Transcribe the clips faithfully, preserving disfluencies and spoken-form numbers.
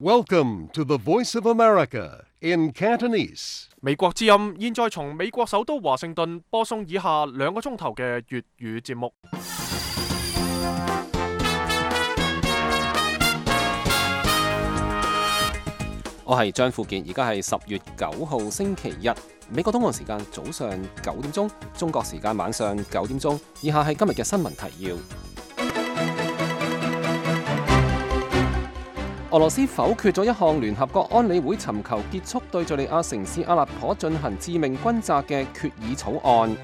Welcome to the Voice of America in Cantonese. 美國之音現在從美國首都華盛頓播送以下兩個鐘頭嘅粵語節目。我係張富健，而家係十月九號星期日，美國東岸時間早上九點鐘，中國時間晚上九點鐘。以下係今日嘅新聞提要。俄羅斯否決咗一項聯合國安理會尋求結束對敘利亞城市阿勒頗進行致命轟炸嘅決議草案。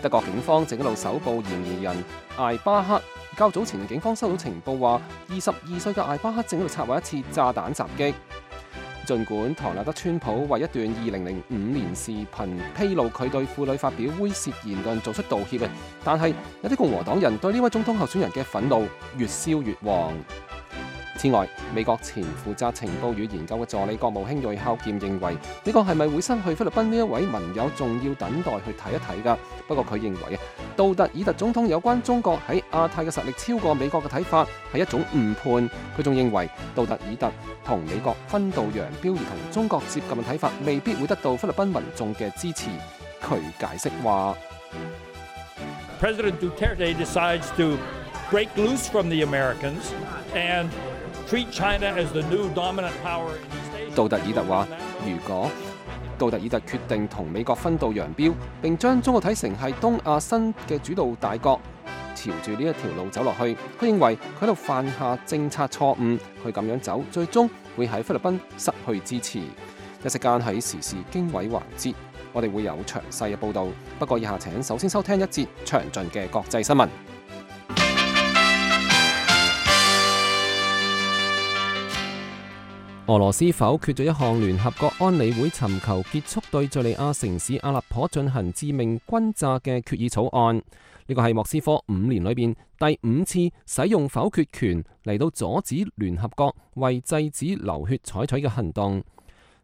德國警方正喺度搜捕嫌疑人艾巴克。較早前警方收到情報話，二十二歲嘅艾巴克正喺度策劃一次炸彈襲擊。儘管唐納德川普為一段二零零五年視頻披露佢對婦女發表猥褻言論做出道歉嘅，但係有啲共和黨人對呢位總統候選人嘅憤怒越燒越旺。此外，美國前負責情報與研究嘅助理國務卿瑞孝劍認為，美國係咪會失去菲律賓呢一位盟友，仲要等待去睇一睇㗎。不過佢認為啊，杜特爾特總統有關中國喺亞太嘅實力超過美國嘅睇法係一種誤判。佢仲認為杜特爾特同美國分道揚鑣而同中國接近嘅睇法未必會得到菲律賓民眾嘅支持。佢解釋話 President Duterte decides to break loose from the Americans and treat China as the new dominant power in East Asia. 杜特爾特話，如果杜特爾特決定同美國分道揚鑣，並將中國睇成係東亞新嘅主導大國，朝住呢一條路走落去，佢認為佢喺度犯下政策錯誤，佢咁樣走，最終會喺菲律賓失去支持。一息間喺時事經緯環節，我哋會有詳細嘅報導。不過以下請首先收聽一節詳盡嘅國際新聞。俄羅斯否決咗一項聯合國安理會尋求結束對敘利亞城市阿勒頗進行致命轟炸嘅決議草案。呢個係莫斯科五年裏邊第五次使用否決權嚟到阻止聯合國為制止流血採取嘅行動。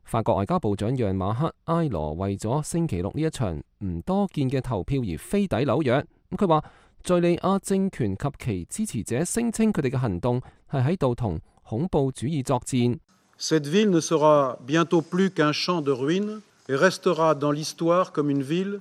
法國外交部長讓馬克埃羅為咗星期六呢一場唔多見嘅投票而飛抵紐約。咁佢話，敘利亞政權及其支持者聲稱佢哋嘅行動係喺度同恐怖主義作戰。Cette ville ne sera bientôt plus qu'un champ de ruines et restera dans l'histoire comme une ville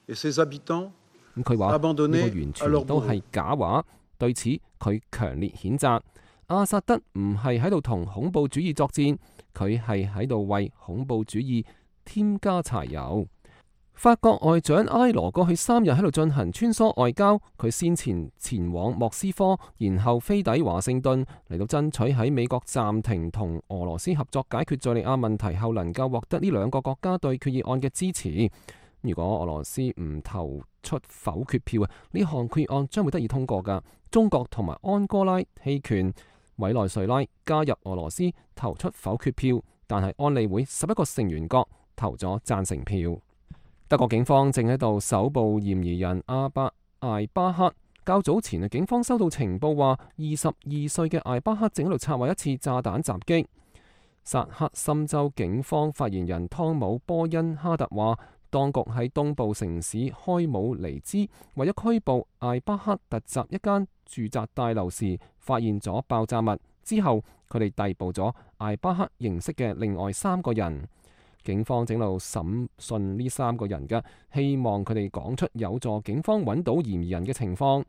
et ses habitants abandonnés à leur bourreaux。佢話呢個完全都係假話，對此佢強烈譴責。阿薩德唔係喺度同恐怖主義作戰，佢係喺度為恐怖主義添加柴油。法國外長埃羅過去三日喺度進行穿梭外交，佢先前前往莫斯科，然後飛抵華盛頓，嚟到爭取喺美國暫停同俄羅斯合作解決敘利亞問題後，能夠獲得呢兩個國家對決議案嘅支持。如果俄羅斯唔投出否決票啊，呢項決議案將會得以通過㗎。中國同埋安哥拉棄權，委內瑞拉加入俄羅斯投出否決票，但係安理會十一個成員國投咗贊成票。德國警方正喺度搜捕嫌疑人阿巴艾巴克。較早前啊，警方收到情報話，二十二歲嘅艾巴克正喺度策劃一次炸彈襲擊。薩克森州警方發言人湯姆波恩哈特話，當局喺東部城市開姆尼茲為咗拘捕艾巴克突襲一間住宅大樓時，發現咗爆炸物，之後佢哋逮捕咗艾巴克認識嘅另外三個人。警方正路審訊呢三個人嘅，希望佢哋講出有助警方揾到嫌疑人嘅情況。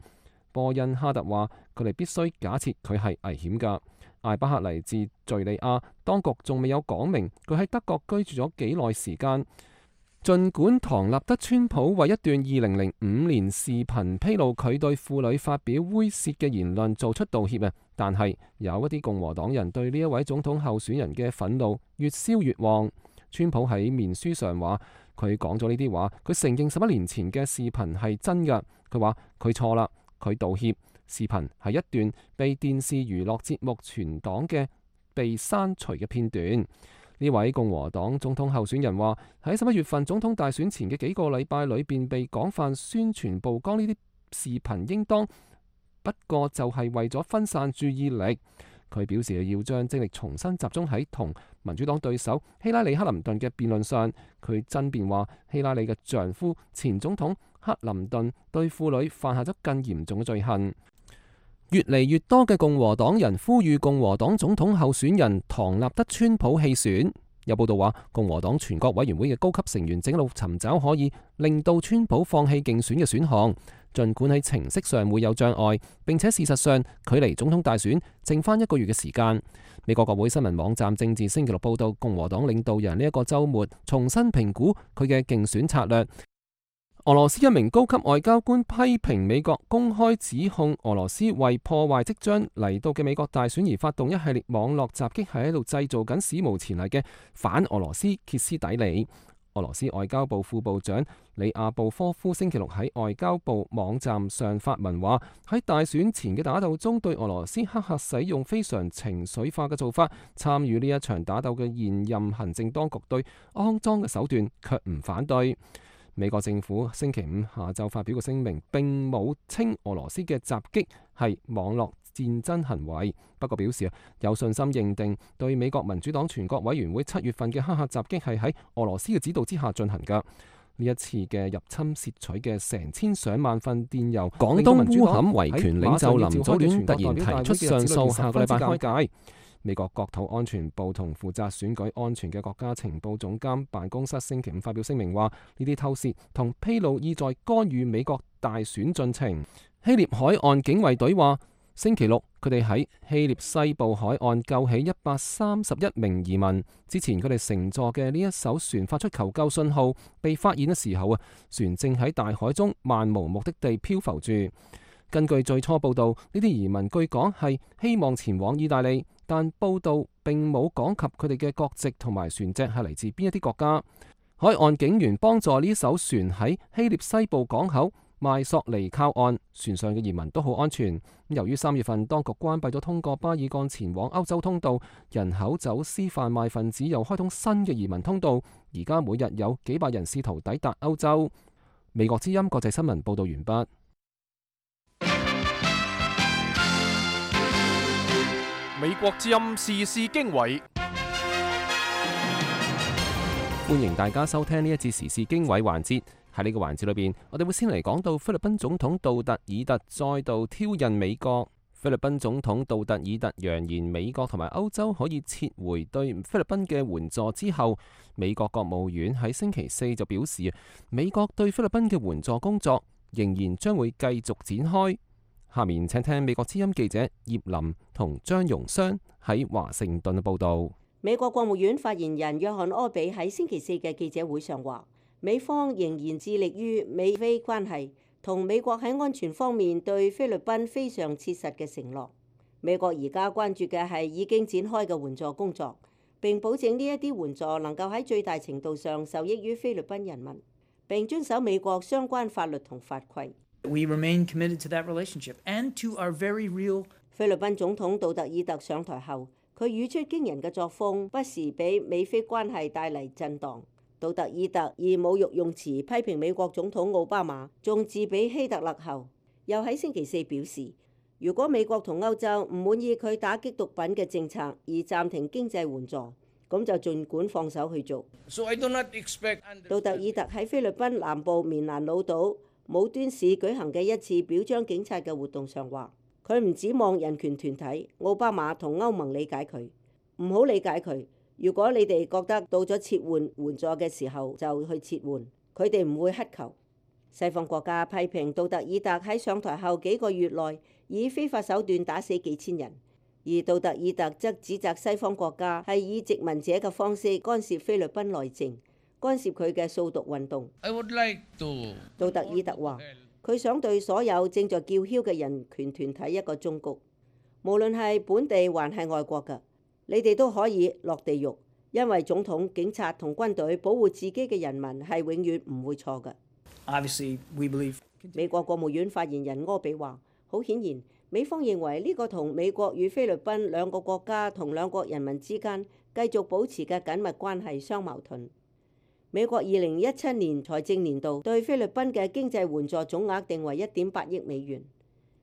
波恩哈特話，佢哋必須假設佢係危險㗎。艾巴克嚟自敘利亞，當局仲未有講明佢喺德國居住咗幾耐時間。儘管唐納德川普為一段二零零五年視頻披露佢對婦女發表猥褻嘅言論做出道歉啊，但係有一啲共和黨人對呢一位總統候選人嘅憤怒越燒越旺。川普喺面書上話，佢講咗呢啲話，佢承認十一年前嘅視頻係真㗎。佢話佢錯啦，佢道歉。視頻係一段被電視娛樂節目存檔嘅被刪除嘅片段。呢位共和黨總統候選人話，喺十一月份總統大選前嘅幾個禮拜裏邊被廣泛宣傳曝光呢啲視頻，應當不過就係為咗分散注意力。佢表示要將精力重新集中喺同民主黨對手希拉里克林頓嘅辯論上。佢爭辯話，希拉里嘅丈夫前總統克林頓對婦女犯下咗更嚴重嘅罪行。越嚟越多嘅共和黨人呼籲共和黨總統候選人唐納德川普棄選。有報道話，共和黨全國委員會嘅高級成員正喺度尋找可以令到川普放棄競選嘅選項，儘管喺程式上會有障礙，並且事實上距離總統大選剩返一個月嘅時間。美國國會新聞網站政治星期六報道，共和黨領導人呢一個週末重新評估佢嘅競選策略。俄羅斯一名高級外交官批評美國公開指控俄羅斯為破壞即將嚟到嘅美國大選而發動一系列網絡襲擊，係喺度製造緊史無前例嘅反俄羅斯歇斯底里。俄羅斯外交部副部長里亞布科夫星期六喺外交部網站上發文話，喺大選前嘅打鬥中，對俄羅斯黑客使用非常情緒化嘅做法，參與呢一場打鬥嘅現任行政當局對骯髒嘅手段卻唔反對。美國政府星期五下晝發表個聲明，並冇稱俄羅斯嘅襲擊係網絡戰爭行為，不過表示有信心認定對美國民主黨全國委員會七月份嘅黑客襲擊係喺俄羅斯嘅指導之下進行㗎。呢一次嘅入侵竊取嘅成千上萬份電郵，廣東烏坎維權領袖林祖戀突然提出上訴，下個禮拜開解。美國國土安全部同負責選舉安全嘅國家情報總監辦公室星期五發表聲明話，呢啲偷竊同披露意在干預美國大選進程。希臘海岸警衛隊話，星期六佢哋喺希臘西部海岸救起一百三十一名移民。之前佢哋乘坐嘅呢一艘船發出求救信號，被發現嘅時候啊，船正喺大海中漫無目的地漂浮住。根據最初報道，呢啲移民據講係希望前往意大利，但報道並冇講及佢哋嘅國籍同埋船隻係嚟自邊一啲國家。海岸警員幫助呢艘船喺希臘西部港口邁索尼靠岸，船上嘅移民都好安全。由於三月份當局關閉咗通過巴爾幹前往歐洲通道，人口走私販賣分子又開通新嘅移民通道，而家每日有幾百人試圖抵達歐洲。美國之音國際新聞報道完畢。美國之音時事經緯，歡迎大家收聽呢一節時事經緯環節。喺呢個環節裏邊，我哋會先嚟講到菲律賓總統杜特爾特再度挑釁美國。菲律賓總統杜特爾特揚言美國同埋歐洲可以撤回對菲律賓嘅援助之後，美國國務院喺星期四就表示，美國對菲律賓嘅援助工作仍然將會繼續展開。下面請聽美國之音記者葉林同張容湘喺華盛頓嘅報道。美國國務院發言人約翰柯比喺星期四嘅記者會上話，美方仍然致力於美菲關係，同美國喺安全方面對菲律賓非常切實嘅承諾。美國而家關注嘅係已經展開嘅援助工作，並保證呢一啲援助能夠喺最大程度上受益於菲律賓人民，並遵守美國相關法律同法規。We remain committed to that relationship and to our very real。菲律賓總統杜特爾特上台後，佢語出驚人嘅作風，不時俾美菲關係帶嚟震盪。杜特爾特以侮辱用詞批評美國總統奧巴馬，仲自比希特勒後，又喺星期四表示，如果美國同歐洲唔滿意佢打擊毒品嘅政策而暫停經濟援助，咁就盡管放手去做。So I do not expect... 杜特爾特喺菲律賓南部棉蘭老島武端市舉行嘅一次表彰警察嘅活動上話，佢唔指望人權團體奧巴馬同歐盟理解佢，唔好理解佢。如果你哋覺得到咗撤換援助嘅時候就去撤換，佢哋唔會乞求。西方國家批評杜特爾特喺上台後幾個月內以非法手段打死幾千人，而杜特爾特則指責西方國家係以殖民者嘅方式干涉菲律賓內政，干涉佢嘅掃毒運動。I would like to... 杜特爾特話，佢想對所有正在叫囂嘅人權團體一個忠告，無論係本地還係外國嘅，你哋都可以落地獄，因為總統、警察同軍隊保護自己嘅人民係永遠唔會錯嘅。Obviously, we believe... 美國國務院發言人柯比話，好顯然，美方認為呢個同美國與菲律賓兩個國家同兩國人民之間繼續保持嘅緊密關係相矛盾。美國二零一七年財政年度對菲律賓嘅經濟援助總額定為一點八億美元。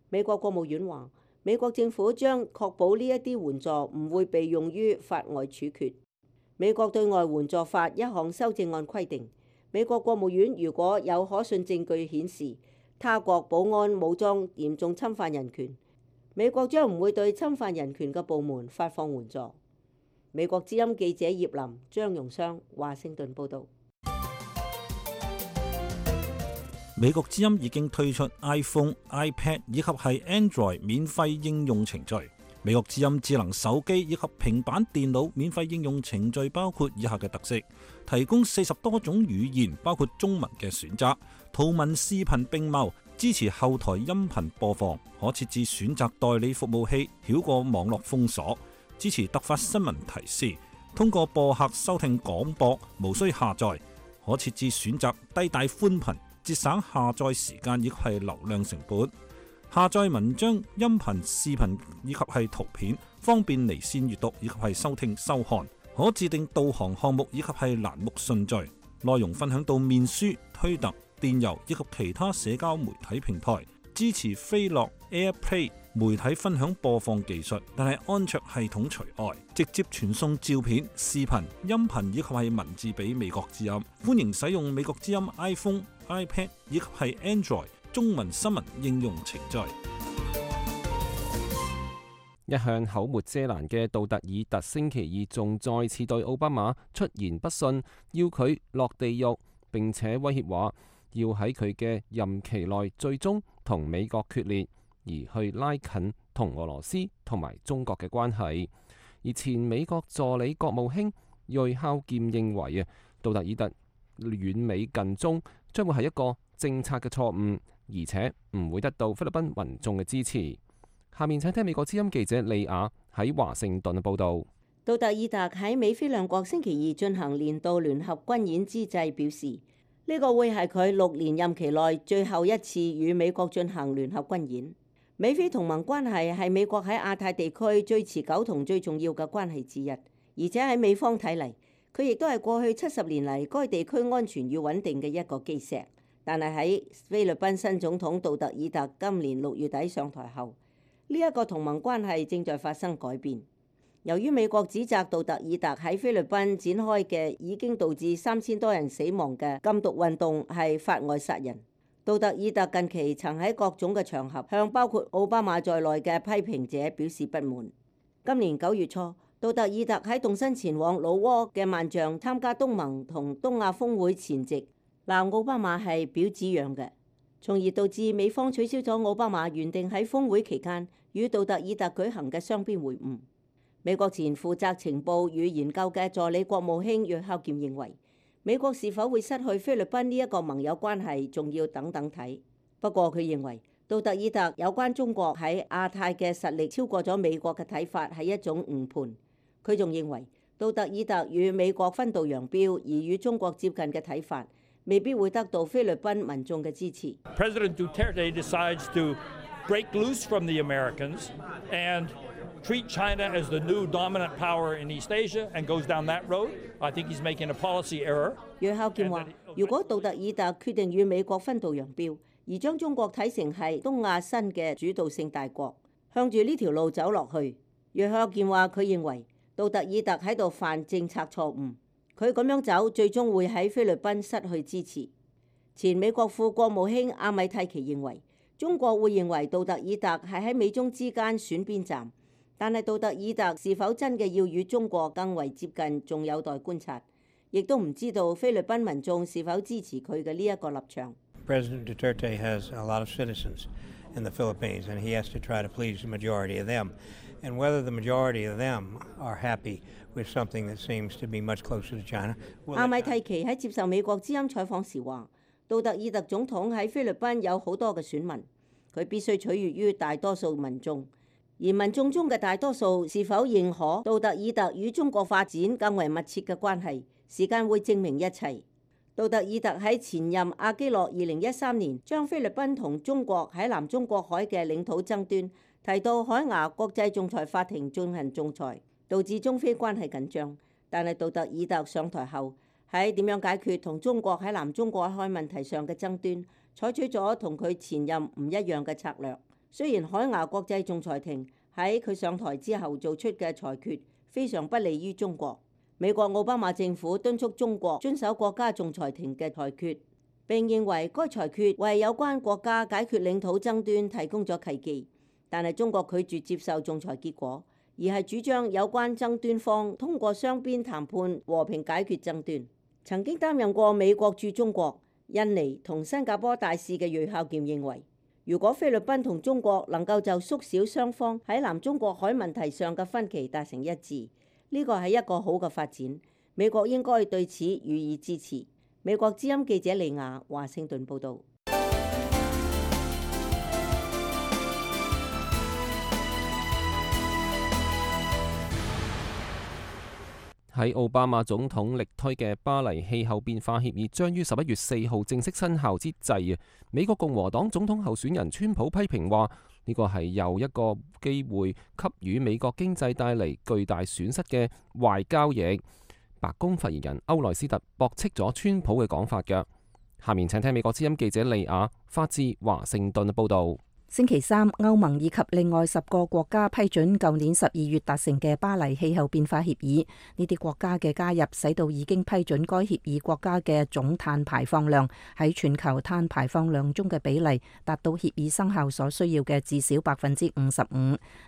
美國國務院話，美國政府將確保呢一啲援助唔會被用於法外處決。美國對外援助法一項修正案規定，美國國務院如果有可信證據顯示他國保安武裝嚴重侵犯人權，美國將唔會對侵犯人權嘅部門發放援助。美國之音記者葉林、張容商，華盛頓報導。美國之音已經推出 iPhone、iPad 以及係 Android 免費應用程序。美國之音智能手機以及平板電腦免費應用程序包括以下嘅特色：提供四十多種語言，包括中文嘅選擇，圖文視頻並茂，支持後台音頻播放，可設置選擇代理服務器，繞過網絡封鎖，支持突發新聞提示，通過播客收聽廣播，無需下載，可設置選擇低帶寬頻，節省下載時間以及係流量成本。下載文章、音頻、視頻以及係圖片，方便離線閱讀以及係收聽收看。可自定導航項目以及係欄目順序。內容分享到面書、推特、電郵以及其他社交媒體平台。支持飛樂 AirPlay 媒體分享播放技術，但係安卓系統除外。直接傳送照片、視頻、音頻以及係文字俾美國之音。歡迎使用美國之音 iPhone、iPad 以及係 Android 中文新聞應用程序。一向口沒遮攔嘅杜特爾特星期二仲再次對奧巴馬出言不遜，要佢落地獄，並且威脅話要喺佢嘅任期內最終同美國決裂，而去拉近同俄羅斯同埋中國嘅關係。而前美國助理國務卿瑞孝劍認為啊，杜特爾特遠美近中將會係一個政策嘅錯誤，而且唔會得到菲律賓民眾嘅支持。下面請聽美國之音記者利亞喺華盛頓嘅報導。杜特爾特喺美菲兩國星期二進行年度聯合軍演之際表示，呢個會係佢六年任期內最後一次與美國進行聯合軍演。美菲同盟關係係美國喺亞太地區最持久同最重要嘅關係之一，而且喺美方睇嚟，佢亦都係過去七十年嚟該地區安全與穩定嘅一個基石。但係喺菲律賓新總統杜特爾特今年六月底上台後，呢一個同盟關係正在發生改變。由於美國指責杜特爾特喺菲律賓展開嘅已經導致三千多人死亡嘅禁毒運動係法外殺人，杜特爾特近期曾喺各種嘅場合向包括奧巴馬在內嘅批評者表示不滿。今年九月初，杜特爾特喺動身前往老撾嘅萬象參加東盟同東亞峰會前夕，鬧奧巴馬係婊子樣嘅，從而導致美方取消咗奧巴馬原定喺峰會期間與杜特爾特舉行嘅雙邊會晤。美國前負責情報與研究嘅助理國務卿約孝劍認為，美國是否會失去菲律賓呢一個盟友關係，仲要等等睇。不過佢認為，杜特爾特有關中國喺亞太嘅實力超過咗美國嘅睇法係一種誤判。佢仲認為，杜特爾特與美國分道揚鑣而與中國接近嘅睇法，未必會得到菲律賓民眾嘅支持。President Duterte decides to break loose from the Americans and treat China as the new dominant power in East Asia and goes down that road. I think he's making a policy error. 約孝劍話：如果杜特爾特決定與美國分道揚鑣，而將中國睇成係東亞新嘅主導性大國，向住呢條路走落去，約孝劍話佢認為杜特爾特喺度犯政策錯誤。佢咁樣走，最終會喺菲律賓失去支持。前美國副國務卿阿米蒂奇認為，中國會認為杜特爾特係喺美中之間選邊站，但係杜特爾特是否真嘅要與中國更為接近，仲有待觀察。亦都唔知道菲律賓民眾是否支持佢嘅呢一個立場。President Duterte has a lot of citizens in the Philippines, and he has to try to please the majority of them. And whether the majority of them are happy with something that seems to be much closer to China. 阿米蒂奇喺接受美國之音採訪時話，杜特爾特總統喺菲律賓有好多嘅選民，佢必須取悅於大多數民眾，而民眾中嘅大多數是否認可杜特爾特與中國發展更為密切嘅關係，時間會證明一切。杜特爾特喺前任阿基諾二零一三年將菲律賓同中國喺南中國海嘅領土爭端提到海牙國際仲裁法庭進行仲裁，導致中菲關係緊張。但係杜特爾特上台後喺點樣解決同中國喺南中國海問題上嘅爭端，採取咗同佢前任唔一樣嘅策略。雖然海牙國際仲裁庭喺佢上台之後做出嘅裁決非常不利於中國，美國奧巴馬政府敦促中國遵守國家仲裁庭嘅裁決，並認為該裁決為有關國家解決領土爭端提供咗契機。但係中國拒絕接受仲裁結果，而係主張有關爭端方通過雙邊談判和平解決爭端。曾經擔任過美國駐中國、印尼同新加坡大使嘅芮孝儉認為，如果菲律賓同中國能夠就縮小雙方喺南中國海問題上嘅分歧達成一致，呢個係一個好嘅發展。美國應該對此予以支持。美國之音記者利亞華盛頓報導。喺奧巴馬總統力推嘅巴黎氣候變化協議將於十一月四號正式生效之際啊，美國共和黨總統候選人川普批評話呢個係又一個機會給予美國經濟帶嚟巨大損失嘅壞交易。白宮發言人歐萊斯特駁斥咗川普嘅講法嘅。下面請聽美國之音記者利亞發自華盛頓嘅報導。星期三，歐盟以及另外十個國家批准舊年十二月達成嘅巴黎氣候變化協議。呢啲國家嘅加入，使到已經批准該協議國家嘅總碳排放量喺全球碳排放量中嘅比例達到協議生效所需要嘅至少百分之五十五。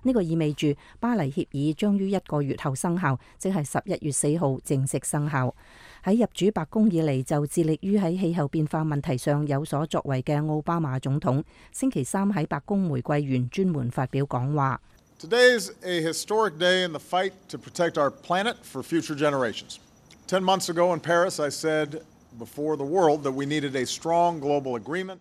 呢個意味住巴黎協議將於一個月後生效，即係十一月四號正式生效。喺入主白宮以嚟就致力於喺氣候變化問題上有所作為嘅奧巴馬總統，星期三喺白宮玫瑰園專門發表講話。Today is a historic day in the fight to protect our planet for future generations. Ten months ago in Paris, I said before the world that we needed a strong global agreement.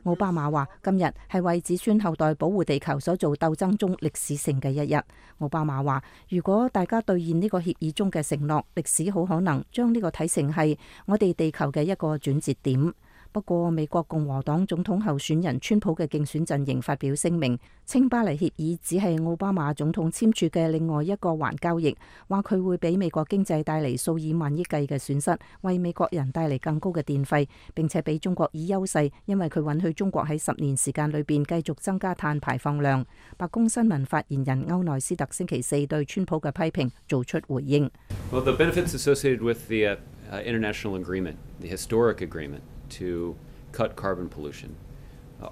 奧巴馬話：今日係為子孫後代保護地球所做鬥爭中歷史性嘅一日。奧巴馬話：如果大家兌現呢個協議中嘅承諾，歷史好可能將呢個睇成係我哋地球嘅一個轉折點。不過，美國共和黨總統候選人川普嘅競選陣營發表聲明，稱巴黎協議只係奧巴馬總統簽署嘅另外一個環交易，話佢會俾美國經濟帶嚟數以萬億計嘅損失，為美國人帶嚟更高嘅電費，並且俾中國以優勢，因為佢允許中國喺十年時間裏邊繼續增加碳排放量。白宮新聞發言人歐內斯特星期四對川普嘅批評做出回應。Well, the benefits associated with the uh, international agreement, the historic agreement to cut carbon pollution,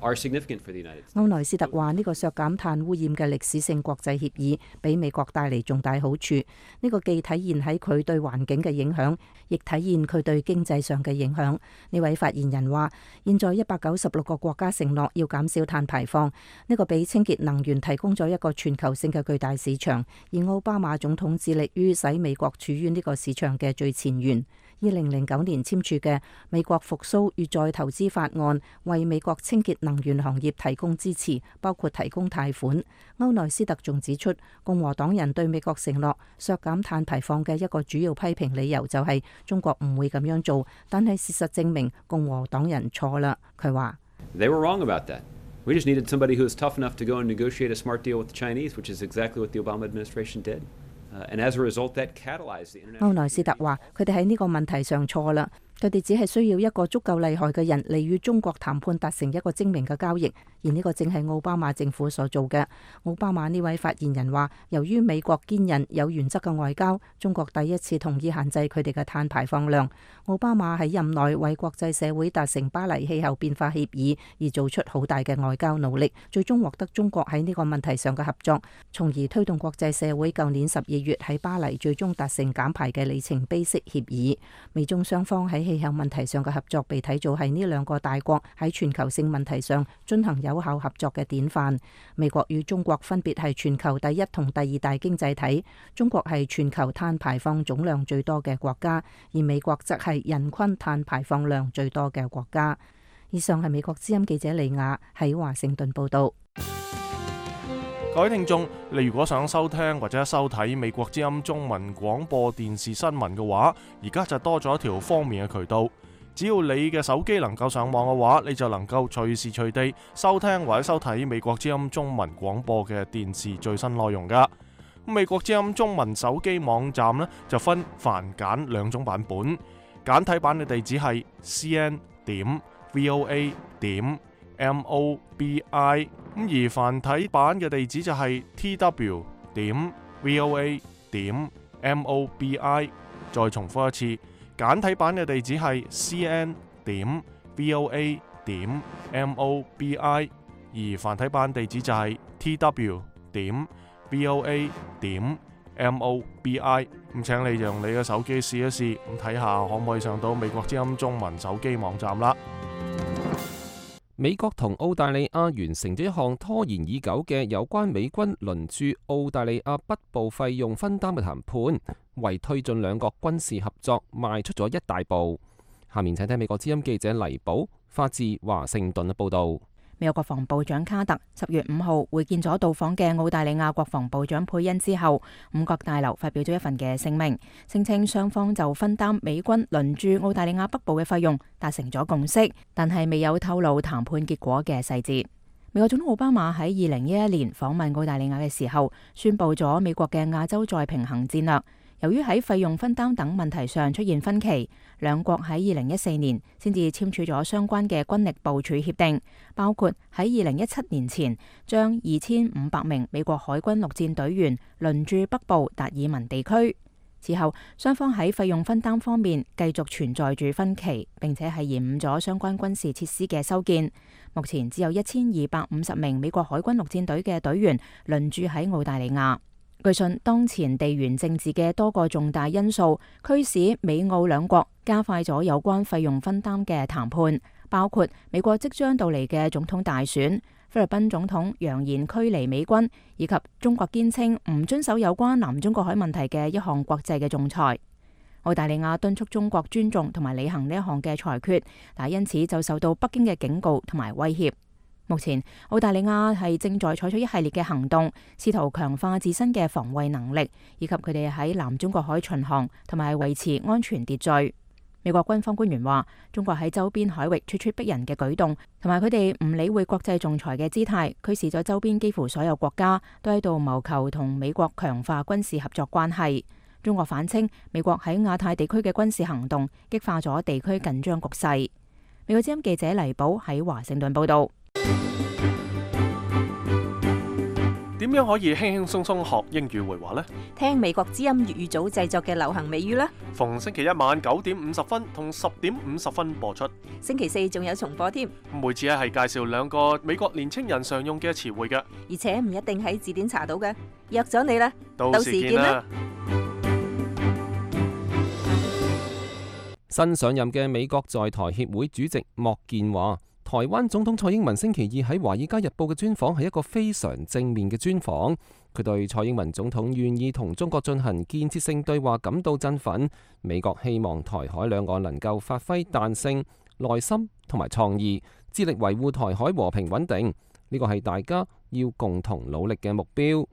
are significant for the United States. 歐內斯特話：呢個削減碳污染嘅歷史性國際協議，俾美國帶嚟重大好處。呢個既體現喺佢對環境嘅影響，亦體現佢對經濟上嘅影響。呢位發言人話：現在一百九十六個國家承諾要減少碳排放，呢個俾清潔能源提供咗一個全球性嘅巨大市場。而奧巴馬總統致力於使美國處於呢個市場嘅最前沿。二零零九年簽署嘅美國復甦與再投資法案，為美國清潔能源行業提供支持，包括提供貸款。歐內斯特仲指出，共和黨人對美國承諾削減碳排放嘅一個主要批評理由就係中國唔會咁樣做，但係事實證明共和黨人錯啦。佢話：They were wrong about that. We just needed somebody who was tough enough to go and negotiate a smart deal with the Chinese, which is exactly what the Obama administration did. 歐內斯特話：佢哋喺呢個問題上錯啦，佢哋只係需要一個足夠厲害嘅人嚟與中國談判，達成一個精明嘅交易，而呢個正係奧巴馬政府所做嘅。奧巴馬呢位發言人話：由於美國堅韌有原則嘅外交，中國第一次同意限制佢哋嘅碳排放量。奧巴馬喺任內為國際社會達成巴黎氣候變化協議而做出好大嘅外交努力，最終獲得中國喺呢個問題上嘅合作，從而推動國際社會舊年十二月喺巴黎最終達成減排嘅里程碑式協議。美中雙方喺氣候問題上嘅合作被睇做係呢兩個大國喺全球性問題上進行有效合作嘅典範。美國與中國分別係全球第一同第二大經濟體，中國係全球碳排放總量最多嘅國家，而美國則係人均碳排放量最多嘅國家。以上係美國之音記者李雅喺華盛頓報道。各位聽眾，你如果想收聽或者收睇美國之音中文廣播電視新聞嘅話，而家就多咗一條方便嘅渠道。只要你嘅手機能夠上網嘅話，你就能夠隨時隨地收聽或者收睇美國之音中文廣播嘅電視最新內容噶。美國之音中文手機網站呢，就分繁簡兩種版本，簡體版嘅地址係 c n 點 v o a 點 m o b i。咁而繁體版嘅地址就係 t w 點 v o a 點 m o b i。再重複一次，簡體版嘅地址係 c n 點 v o a 點 m o b i。而繁體版地址就係 t w 點 v o a 點 m o b i。咁請你用你嘅手機試一試，咁睇下可唔可以上到美國之音中文手機網站啦。美國同澳大利亞完成咗一項拖延已久嘅有關美軍輪駐澳大利亞北部費用分擔嘅談判，為推進兩國軍事合作邁出咗一大步。下面請聽美國之音記者黎寶發自華盛頓嘅報導。美國國防部長卡特十月五號會見咗到訪嘅澳大利亞國防部長佩恩之後，五角大樓發表咗一份嘅聲明，聲稱雙方就分擔美軍輪駐澳大利亞北部嘅費用達成咗共識，但係未有透露談判結果嘅細節。美國總統奧巴馬喺二零一一年訪問澳大利亞嘅時候，宣布咗美國嘅亞洲再平衡戰略。由於喺費用分擔等問題上出現分歧，兩國喺二零一四年先至簽署咗相關嘅軍力部署協定，包括喺二零一七年前將二千五百名美國海軍陸戰隊員輪駐北部達爾文地區。之後，雙方喺費用分擔方面繼續存在住分歧，並且係延誤咗相關軍事設施嘅修建。目前只有一千二百五十名美國海軍陸戰隊嘅隊員輪駐喺澳大利亞。據信，當前地緣政治嘅多個重大因素驅使美澳兩國加快咗有關費用分擔嘅談判，包括美國即將到嚟嘅總統大選、菲律賓總統揚言驅離美軍，以及中國堅稱唔遵守有關南中國海問題嘅一項國際嘅仲裁。澳大利亞敦促中國尊重同埋履行呢一項嘅裁決，但因此就受到北京嘅警告同埋威脅。目前，澳大利亞係正在採取一系列嘅行動，試圖強化自身嘅防衛能力，以及佢哋喺南中國海巡航同埋維持安全秩序。美國軍方官員話，中國喺周邊海域咄咄逼人嘅舉動，同埋佢哋唔理會國際仲裁嘅姿態，驅使咗周邊幾乎所有國家都喺度謀求同美國強化軍事合作關係。中國反稱，美國喺亞太地區嘅軍事行動激化咗地區緊張局勢。美國之音記者黎寶喺華盛頓報道。點樣可以輕輕鬆鬆學英語會話呢？聽美國之音粵語組製作嘅流行美語啦！逢星期一晚九點五十分同十點五十分播出，星期四仲有重播添。每次咧係介紹兩個美國年青人常用嘅詞彙嘅，而且唔一定喺字典查到嘅。約咗你啦，到時見啦！新上任嘅美國在台協會主席莫健話，台灣總統蔡英文星期二喺《華爾街日報》嘅專訪係一個非常正面嘅專訪。佢對蔡英文總統願意同中國進行建設性對話感到振奮。美國希望台海兩岸能夠發揮彈性、耐心同埋創意，致力維護台海和平穩定。呢個係大家要共同努力嘅目標。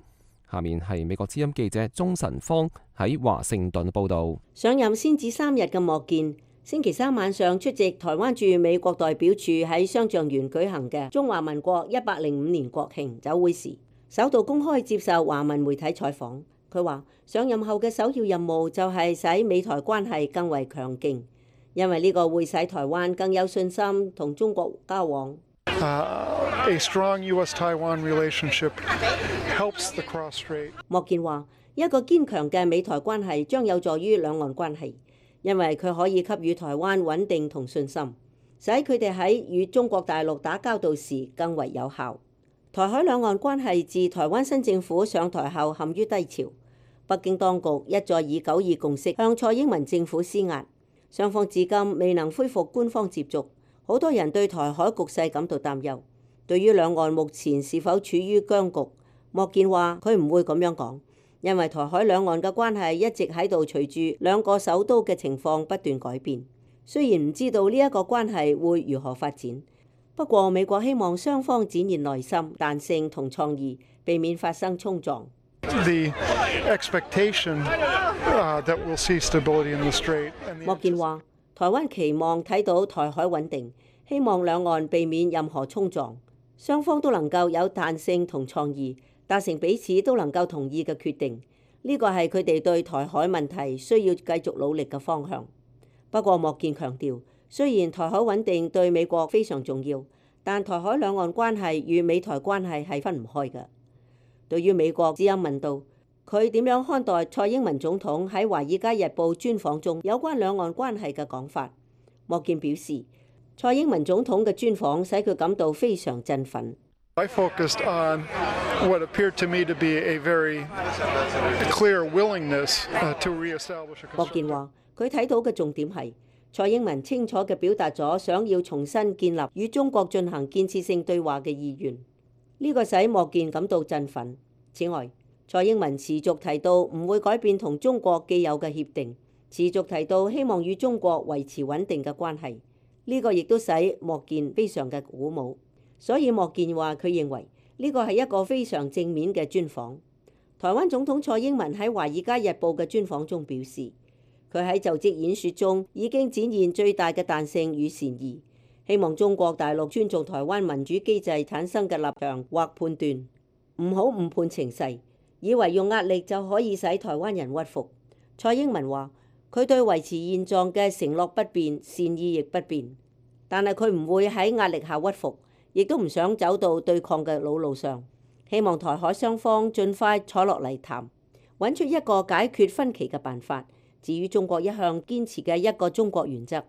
下面係美國之音記者鍾晨芳喺華盛頓報道。上任先至三日嘅莫健，星期三晚上出席台灣駐美國代表處喺雙橡園舉行嘅中華民國一百零五年國慶酒會時，首度公開接受華文媒體採訪。佢話上任後嘅首要任務就係使美台關係更為強勁，因為呢個會使台灣更有信心同中國交往。Uh, a strong U S-Taiwan relationship helps the cross-strait. 莫健話一個堅強嘅美台關係將有助於兩岸關係，因為佢可以給予台灣穩定同信心，使佢哋喺與中國大陸打交道時更為有效。台海兩岸關係自台灣新政府上台後陷於低潮，北京當局一再以九二共識向蔡英文政府施壓，雙方至今未能恢復官方接觸。好多人對台海局勢感到擔憂。對於兩岸目前是否處於僵局，莫健話佢唔會咁樣講，因為台海兩岸嘅關係一直喺度隨住兩個首都嘅情況不斷改變。雖然唔知道呢一個關係會如何發展，不過美國希望雙方展現耐心、彈性同創意，避免發生衝撞。The expectation, uh, that we'll see stability in the strait. 莫健話台灣期望睇到台海穩定，希望兩岸避免任何衝撞，雙方都能夠有彈性同創意，達成彼此都能夠同意嘅決定。呢個係佢哋對台海問題需要繼續努力嘅方向。不過莫健強調，雖然台海穩定對美國非常重要，但台海兩岸關係與美台關係係分唔開嘅。對於美國之音問到佢點樣看待蔡英文總統喺《華爾街日報》專訪中有關兩岸關係嘅講法，莫健表示，蔡英文總統嘅專訪使佢感到非常振奮。I focused on what appeared to me to be a very clear willingness to reestablish a constructive. 莫健話：佢睇到嘅重點係蔡英文清楚嘅表達咗想要重新建立與中國進行建設性對話嘅意願，呢個使莫健感到振奮。此外，蔡英文持續提到唔會改變同中國既有嘅協定，持續提到希望與中國維持穩定嘅關係，呢個亦都使莫健非常嘅鼓舞。所以莫健話佢認為呢個係一個非常正面嘅專訪。台灣總統蔡英文喺《華爾街日報》嘅專訪中表示，佢喺就職演說中已經展現最大嘅彈性與善意，希望中國大陸尊重台灣民主機制產生嘅立場或判斷，唔好誤判情勢，以為用壓力就可以使台灣人屈服。蔡英文話佢對維持現狀嘅承諾不變，善意亦不變，但係佢唔會喺壓力下屈服，亦都唔想走到對抗嘅老路上，希望台海雙方盡快坐落嚟談，揾出一個解決分歧嘅辦法。至於中國一向堅持嘅一個中國原則，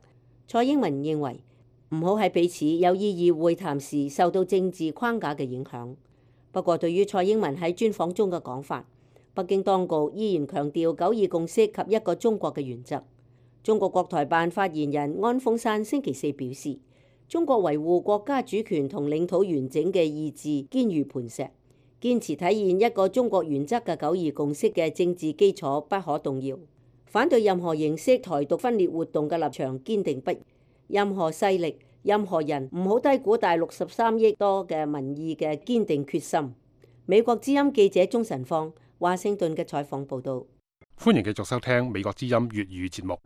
蔡英文認為唔好喺彼此有意義會談時受到政治框架嘅影響。不過對於蔡英文喺專訪中嘅講法，北京當局依然強調九二共識及一個中國嘅原則。中國國台辦發言人安峰山星期四表示，中國維護國家主權同領土完整嘅意志堅如磐石，堅持體現一個中國原則嘅九二共識嘅政治基礎不可動搖，反對任何形式台獨分裂活動嘅立場堅定不移。任何勢力、任何人唔好低估大陸十三億多嘅民意嘅堅定決心。美國之音記者鍾晨芳華盛頓嘅採訪報導。歡迎繼續收聽美國之音粵語節目。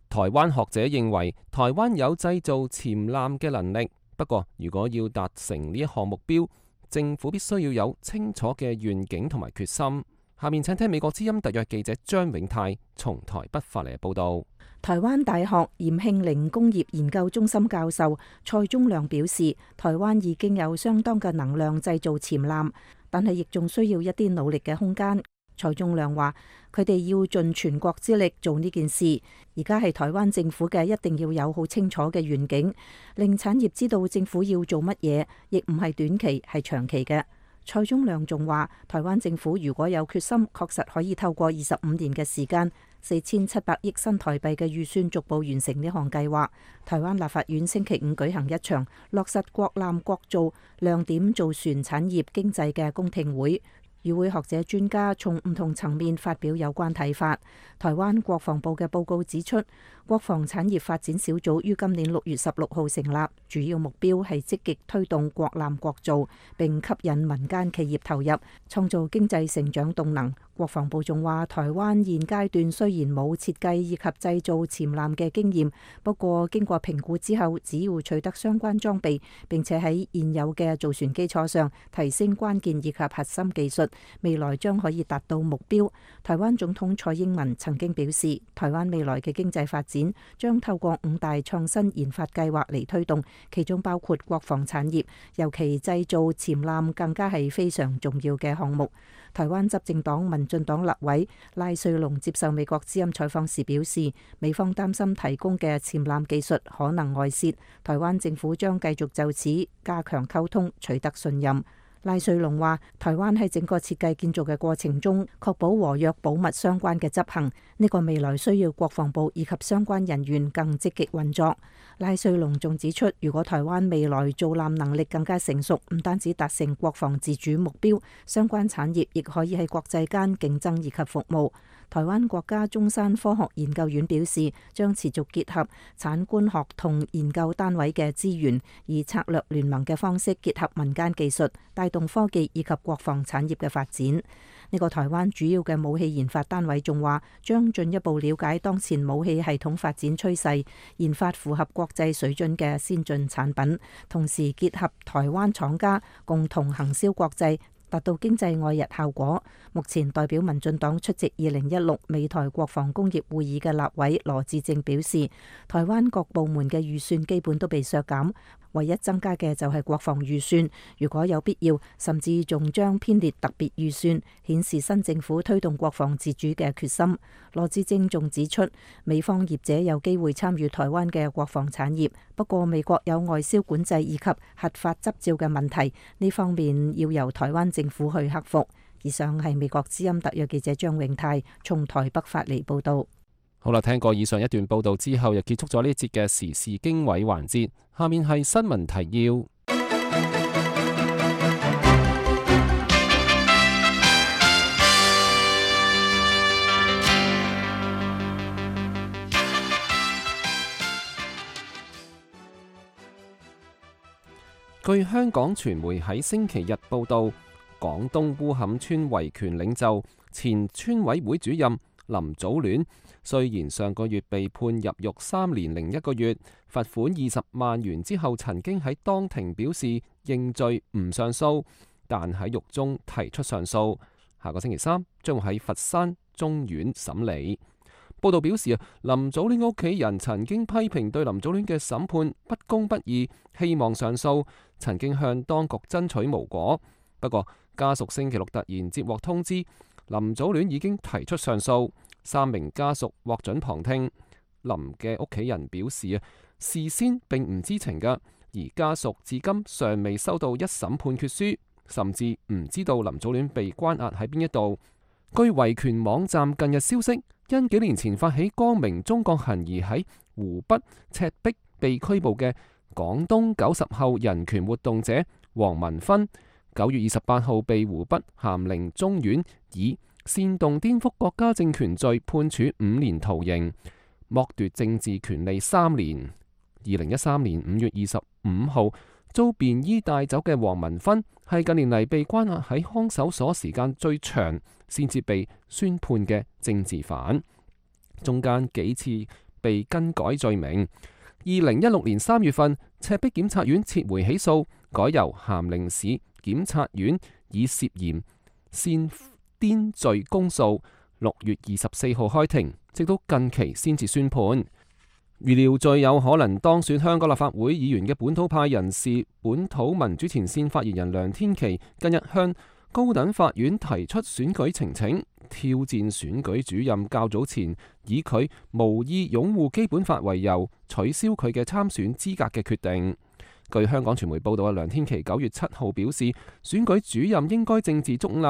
台灣學者認為，台灣有製造潛艦嘅能力，不過如果要達成呢一項目標，政府必須要有清楚嘅願景同埋決心。下面請聽美國之音特約記者張永泰從台北發嚟嘅報導。台灣大學嚴慶陵工業研究中心教授蔡宗亮表示，台灣已經有相當嘅能量製造潛艦，但係亦仲需要一啲努力嘅空間。蔡宗亮話：佢哋要盡全國之力做呢件事，而家係台灣政府嘅一定要有好清楚嘅願景，令產業知道政府要做乜嘢，亦唔係短期，係長期嘅。蔡宗亮仲話：台灣政府如果有決心，確實可以透過二十五年嘅時間，四千七百億新台幣嘅預算，逐步完成呢項計劃。台灣立法院星期五舉行一場落實國艦國造亮點造船產業經濟嘅公聽會。與會學者專家從唔同層面發表有關睇法。台灣國防部嘅報告指出，國防產業發展小組於今年六月十六號成立，主要目標係積極推動國艦國造，並吸引民間企業投入，創造經濟成長動能。國防部仲話，台灣現階段雖然冇設計以及製造潛艦嘅經驗，不過經過評估之後，只要取得相關裝備，並且喺現有嘅造船基礎上提升關鍵以及核心技術，未來將可以達到目標。台灣總統蔡英文曾經表示，台灣未來嘅經濟發展將透過五大創新研發計劃嚟推動，其中包括國防產業，尤其製造潛艦更加係非常重要嘅項目。台灣執政黨民進黨立委賴瑞隆接受美國之音採訪時表示，美方擔心提供嘅潛艦技術可能外泄，台灣政府將繼續就此加強溝通，取得信任。賴瑞隆話：台灣喺整個設計建造嘅過程中，確保和約保密相關嘅執行，呢個未來需要國防部以及相關人員更積極運作。賴瑞隆仲指出，如果台灣未來造艦能力更加成熟，唔單止達成國防自主目標，相關產業亦可以喺國際間競爭以及服務。台灣國家中山科學研究院表示，將持續結合產官學同研究單位嘅資源，以策略聯盟嘅方式結合民間技術，帶動科技以及國防產業嘅發展。呢個台灣主要嘅武器研發單位仲話，將進一步了解當前武器系統發展趨勢，研發符合國際水準嘅先進產品，同時結合台灣廠家共同行銷國際，達到經濟外溢效果。目前代表民進黨出席二零一六美台國防工業會議嘅立委羅致政表示，台灣各部門嘅預算基本都被削減，唯一增加嘅就係國防預算。如果有必要，甚至仲將編列特別預算，顯示新政府推動國防自主嘅決心。羅致政仲指出，美方業者有機會參與台灣嘅國防產業，不過美國有外銷管制以及核發執照嘅問題，呢方面要由台灣政府去克服。以上係美國之音特約記者張永泰從台北發嚟報道。好啦，聽過以上一段報道之後，又結束咗呢一節嘅時事經緯環節。下面係新聞提要。據香港傳媒喺星期日報道，廣東烏坎村維權領袖、前村委會主任林祖戀，雖然上個月被判入獄三年零一個月，罰款二十萬元之後，曾經喺當庭表示認罪唔上訴，但喺獄中提出上訴。下個星期三將會喺佛山中院審理。報道表示啊，林祖戀屋企人曾經批評對林祖戀嘅審判不公不義，希望上訴，曾經向當局爭取無果。不過家屬星期六突然接獲通知，林祖戀已經提出上訴，三名家屬獲准旁聽。林嘅屋企人表示啊，事先並唔知情㗎，而家屬至今尚未收到一審判決書，甚至唔知道林祖戀被關押喺邊一度。據維權網站近日消息，因幾年前發起光明中國行而喺湖北赤壁被拘捕嘅廣東九十後人權活動者黃文勳，九月二十八號被湖北咸寧中院以煽動顛覆國家政權罪判處五年徒刑，剝奪政治權利三年。二零一三年五月二十五號遭便衣帶走嘅黃文勳，係近年嚟被關押喺看守所時間最長，先至被宣判嘅政治犯，中間幾次被更改罪名。二零一六年三月份，赤壁檢察院撤回起訴，改由咸寧市檢察院以涉嫌煽顛罪公訴。六月二十四號開庭，直到近期先至宣判。預料最有可能當選香港立法會議員嘅本土派人士、本土民主前線發言人梁天琦，近日向高等法院提出選舉呈請，挑戰選舉主任較早前以佢無意擁護基本法為由取消佢嘅參選資格嘅決定。據香港傳媒報道，梁天琦九月七號表示，選舉主任應該政治中立，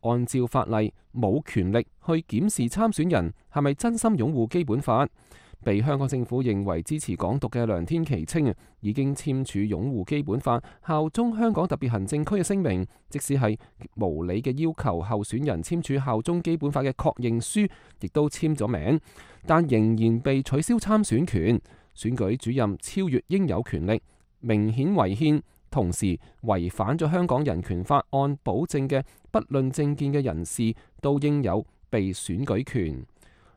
按照法例冇權力去檢視參選人係咪真心擁護基本法。被香港政府認為支持港獨嘅梁天琦稱，已經簽署擁護基本法、效忠香港特別行政區嘅聲明，即使係無理嘅要求候選人簽署效忠基本法嘅確認書，亦都簽咗名，但仍然被取消參選權。選舉主任超越應有權力，明顯違憲，同時違反咗香港人權法案保證嘅不論政見嘅人士都應有被選舉權。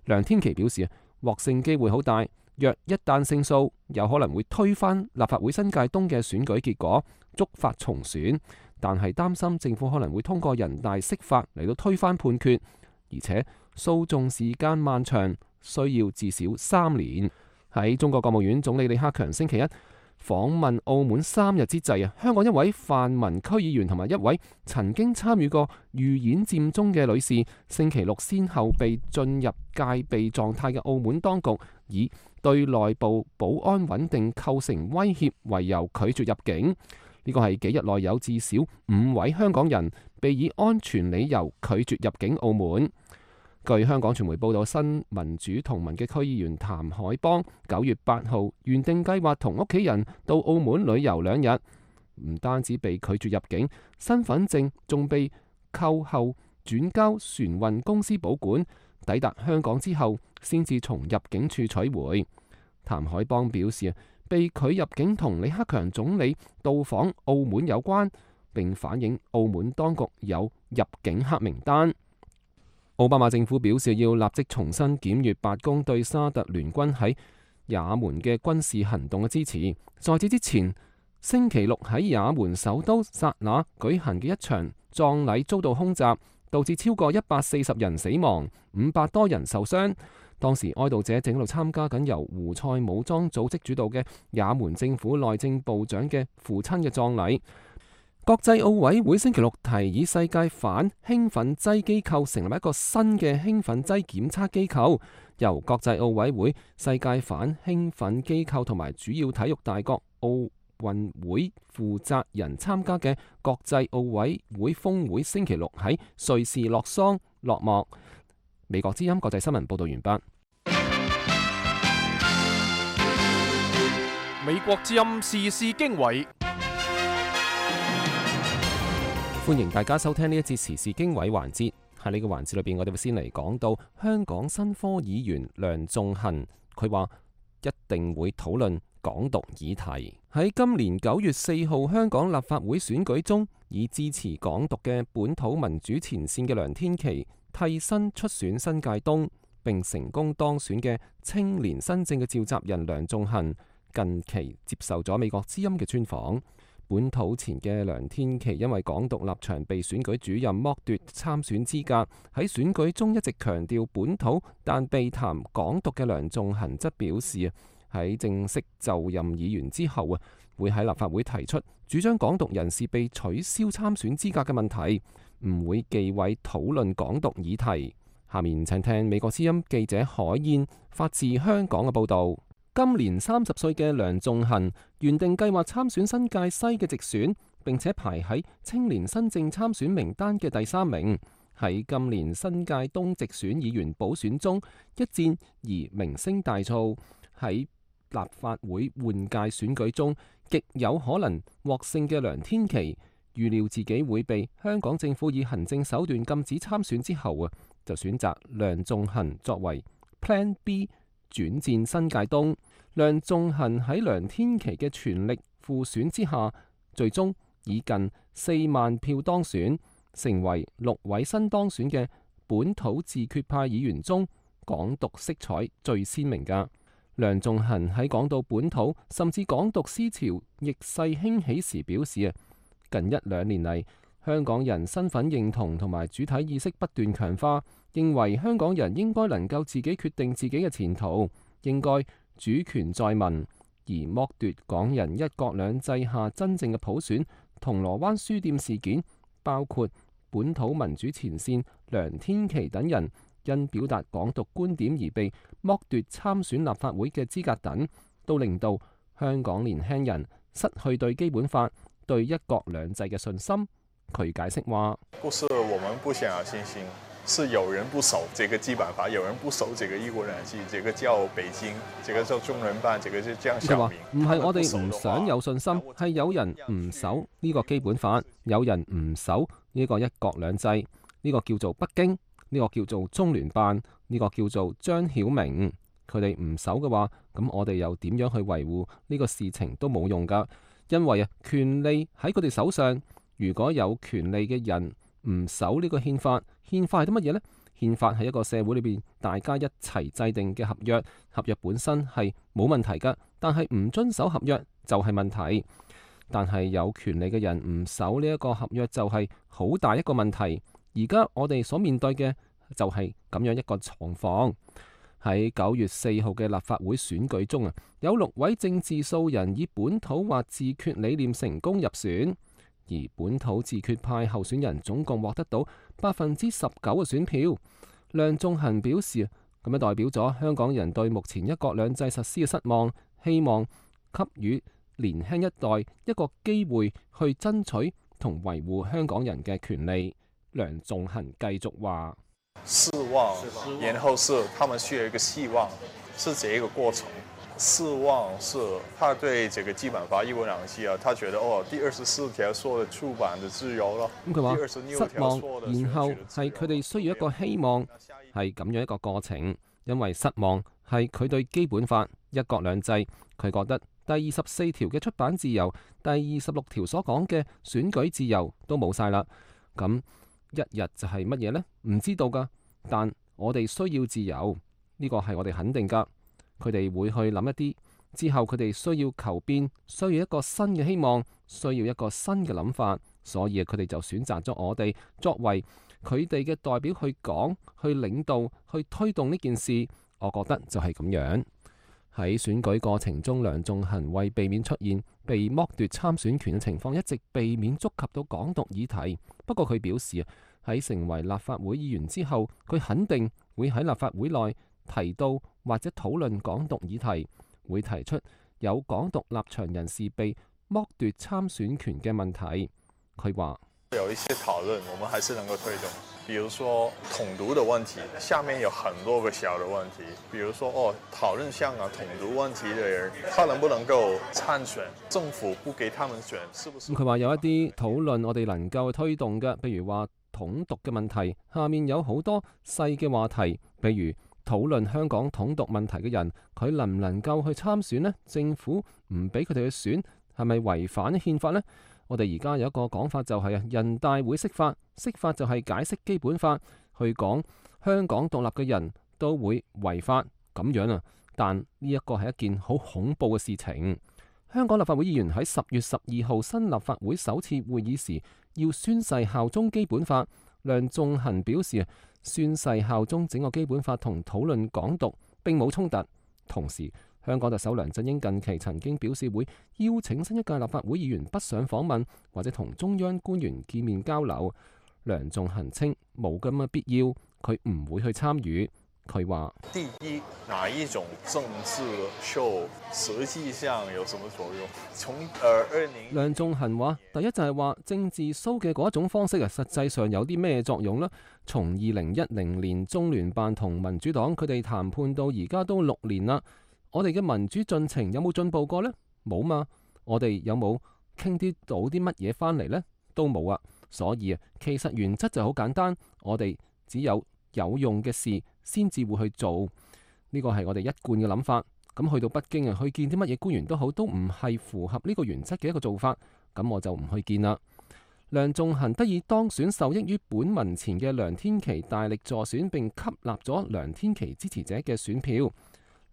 梁天琦表示，獲勝機會好大，若一旦勝訴，有可能會推翻立法會新界東嘅選舉結果，觸發重選。但係擔心政府可能會通過人大釋法嚟到推翻判決，而且訴訟時間漫長，需要至少三年。喺中國國務院總理李克強星期一訪問澳門三日之際啊，香港一位泛民區議員同埋一位曾經參與過預演佔中嘅女士，星期六先後被進入戒備狀態嘅澳門當局以對內部保安穩定構成威脅為由拒絕入境。呢個係幾日內有至少五位香港人被以安全理由拒絕入境澳門。據香港傳媒報道，新民主同盟嘅區議員譚海邦九月八號原定計劃同屋企人到澳門旅遊兩日，唔單止被拒絕入境，身份證仲被扣後轉交船運公司保管，抵達香港之後先至從入境處取回。譚海邦表示，被拒入境同李克強總理到訪澳門有關，並反映澳門當局有入境黑名單。奧巴馬政府表示要立即重新檢閱白宮對沙特聯軍喺也門嘅軍事行動嘅支持。在此之前，星期六喺也門首都薩那舉行嘅一場葬禮遭到空襲，導致超過一百四十人死亡，五百多人受傷。當時哀悼者正喺度參加緊由胡塞武裝組織主導嘅也門政府內政部長嘅父親嘅葬禮。國際奧委會星期六提議世界反興奮劑機構成立一個新嘅興奮劑檢測機構，由國際奧委會、世界反興奮機構同埋主要體育大國奧運會負責人參加嘅國際奧委會峰會星期六喺瑞士洛桑落幕。美國之音國際新聞報道完畢。美國之音時事經緯，歡迎大家收聽呢一節時事經緯環節。喺呢個環節裏邊，我哋會先嚟講到香港新科議員梁頌恆，佢話一定會討論港獨議題。喺今年九月四號香港立法會選舉中，以支持港獨嘅本土民主前線嘅梁天琦替身出選新界東，並成功當選嘅青年新政嘅召集人梁頌恆，近期接受咗美國之音嘅專訪。本土前嘅梁天琦因為港獨立場被選舉主任剝奪參選資格，喺選舉中一直強調本土，但被談港獨嘅梁頌恆則表示喺正式就任議員之後啊，會喺立法會提出主張港獨人士被取消參選資格嘅問題，唔會忌諱討論港獨議題。下面請聽美國之音記者海燕發自香港嘅報導。今年三十歲嘅梁頌恆原定計劃參選新界西嘅直選，並且排喺青年新政參選名單嘅第三名。喺今年新界東直選議員補選中一戰而名聲大噪，喺立法會換屆選舉中極有可能獲勝嘅梁天琦，預料自己會被香港政府以行政手段禁止參選之後啊，就選擇梁頌恆作為 Plan B 轉戰新界東。梁頌恆喺梁天琦嘅全力輔選之下，最終以近四萬票當選，成為六位新當選嘅本土自決派議員中港獨色彩最鮮明㗎。梁頌恆喺講到本土甚至港獨思潮逆勢興起時表示啊，近一兩年嚟香港人身份認同同埋主體意識不斷強化，認為香港人應該能夠自己決定自己嘅前途，應該主權在民，而剝奪港人一國兩制下真正嘅普選。銅鑼灣書店事件，包括本土民主前線梁天琦等人因表達港獨觀點而被剝奪參選立法會嘅資格等，都令到香港年輕人失去對基本法、對一國兩制嘅信心。佢解釋話：不是我們不想有信心，是有人不守這個基本法，有人不守這個一國兩制，這個叫北京，這個叫中聯辦，這個就江小明。唔係我哋唔想有信心，係有人唔守呢個基本法，有人唔守呢個一國兩制，呢個叫做北京，呢個叫做中聯辦，呢個叫做張曉明。佢哋唔守嘅話，咁我哋又點樣去維護呢個事情都冇用㗎，因為啊，權利喺佢哋手上。如果有權利嘅人唔守呢個憲法，憲法係啲乜嘢呢？憲法係一個社會裏邊大家一齊制定嘅合約，合約本身係冇問題㗎，但係唔遵守合約就係問題。但係有權利嘅人唔守呢一個合約就係好大一個問題。而家我哋所面對嘅就係咁樣一個狀況。喺九月四號嘅立法會選舉中啊，有六位政治素人以本土或自決理念成功入選。而本土自決派候選人總共獲得到百分之十九嘅選票。梁頌恆表示，咁樣代表咗香港人對目前一國兩制實施嘅失望，希望給予年輕一代一個機會去爭取同維護香港人嘅權利。梁頌恆繼續話：失望，然後是他們需要一個希望，是這一個過程。失望是他對這個基本法一國兩制啊，他覺得哦，第二十四條說的出版的自由咯。咁佢話失望，然後係佢哋需要一個希望，係咁樣一個過程。因為失望係佢對基本法一國兩制，佢覺得第二十四條嘅出版自由，第二十六條所講嘅選舉自由都冇晒啦。咁一日就係乜嘢呢？唔知道噶。但我哋需要自由，呢個係我哋肯定噶。佢哋會去諗一啲之後佢哋需要求變，需要一個新嘅希望，需要一個新嘅諗法，所以佢哋就選擇咗我哋作為佢哋嘅代表去講、去領導、去推動呢件事。我覺得就係咁樣。喺選舉過程中，梁頌恆為避免出現被剝奪參選權嘅情況，一直避免觸及到港獨議題。不過佢表示喺成為立法會議員之後，佢肯定會喺立法會內提到或者討論港獨議題，會提出有港獨立場人士被剝奪參選權嘅問題。佢話有一些討論，我們還是能夠推動。比如說統獨的問題，下面有很多個小的問題。比如說哦，討論香港統獨問題的人，他能不能夠參選？政府不給他們選，是不是？佢話有一啲討論我哋能夠推動嘅，譬如話統獨嘅問題，下面有好多細嘅話題，譬如討論香港統獨問題嘅人，佢能唔能夠去參選呢？政府唔俾佢哋去選，係咪違反憲法呢？我哋而家有一個講法就係啊，人大會釋法，釋法就係解釋基本法，去講香港獨立嘅人都會違法咁樣啊。但呢一個係一件好恐怖嘅事情。香港立法會議員喺十月十二號新立法會首次會議時要宣誓效忠基本法。梁頌恆表示啊，宣誓效忠整個基本法同討論港獨並冇衝突。同時，香港特首梁振英近期曾經表示會邀請新一屆立法會議員北上訪問，或者同中央官員見面交流。梁頌恆稱冇咁嘅必要，佢唔會去參與。佢話：第一，哪一種政治秀實際上有什麼作用？從二二零梁頌恆話：第一就係話政治 show 嘅嗰一種方式啊，實際上有啲咩作用呢？從二零一零年中聯辦同民主黨佢哋談判到而家都六年啦，我哋嘅民主進程有冇進步過呢？冇嘛。我哋有冇傾啲到啲乜嘢翻嚟呢？都冇啊。所以啊，其實原則就好簡單，我哋只有有用嘅事先至會去做，呢個係我哋一貫嘅諗法。咁去到北京啊，去見啲乜嘢官員都好，都唔係符合呢個原則嘅一個做法，咁我就唔去見啦。梁頌恆得以當選，受益於本民前嘅梁天琦大力助選，並吸納咗梁天琦支持者嘅選票。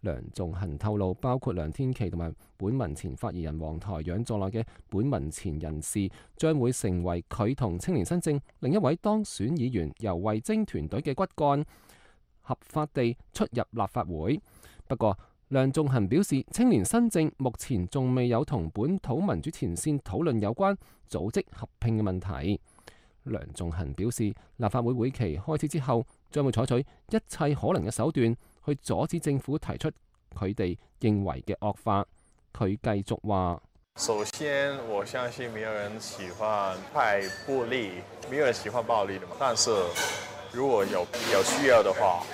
梁頌恆透露，包括梁天琦同埋本民前發言人黃台仰在內嘅本民前人士，將會成為佢同青年新政另一位當選議員由惠貞團隊嘅骨幹，合法地出入立法會。不過，梁頌恆表示，青年新政目前仲未有同本土民主前線討論有關組織合併嘅問題。梁頌恆表示，立法會會期開始之後，將會採取一切可能嘅手段去阻止政府提出佢哋認為嘅惡法。佢繼續話：首先，我相信沒有人喜歡太暴力，沒有人喜歡暴力的嘛。但是如果有有需要的話，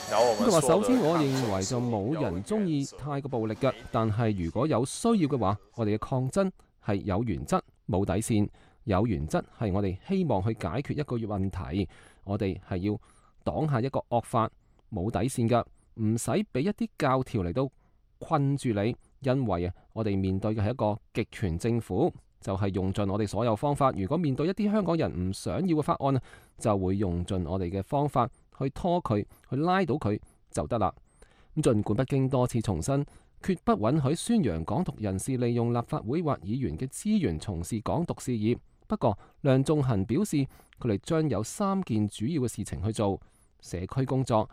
然後我們說的，首先我認為就冇人中意太過暴力嘅，但係如果有需要嘅話，我哋嘅抗爭係有原則、冇底線。有原則係我哋希望去解決一個問題，我哋係要擋下一個惡法，冇底線噶，唔使俾一啲教條嚟到困住你，因為啊，我哋面對嘅係一個極權政府，就係用盡我哋所有方法。如果面對一啲香港人唔想要嘅法案，就會用盡我哋嘅方法去拖佢，去拉到佢就得啦。咁儘管北京多次重申，決不允許宣揚港獨人士利用立法會或議員嘅資源從事港獨事業。不過，梁頌恆表示，佢哋將有三件主要嘅事情去做：社區工作、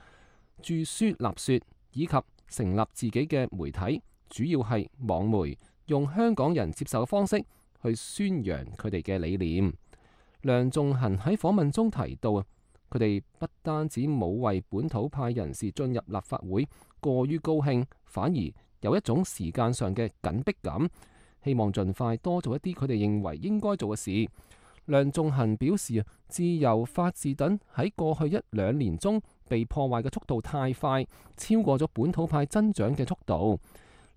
著書立說，以及成立自己嘅媒體，主要係網媒，用香港人接受嘅方式去宣揚佢哋嘅理念。梁頌恆喺訪問中提到啊，佢哋不單止冇為本土派人士進入立法會過於高興，反而有一種時間上嘅緊迫感。希望盡快多做一啲佢哋認為應該做嘅事。梁頌恆表示啊，自由、法治等喺過去一兩年中被破壞嘅速度太快，超過咗本土派增長嘅速度。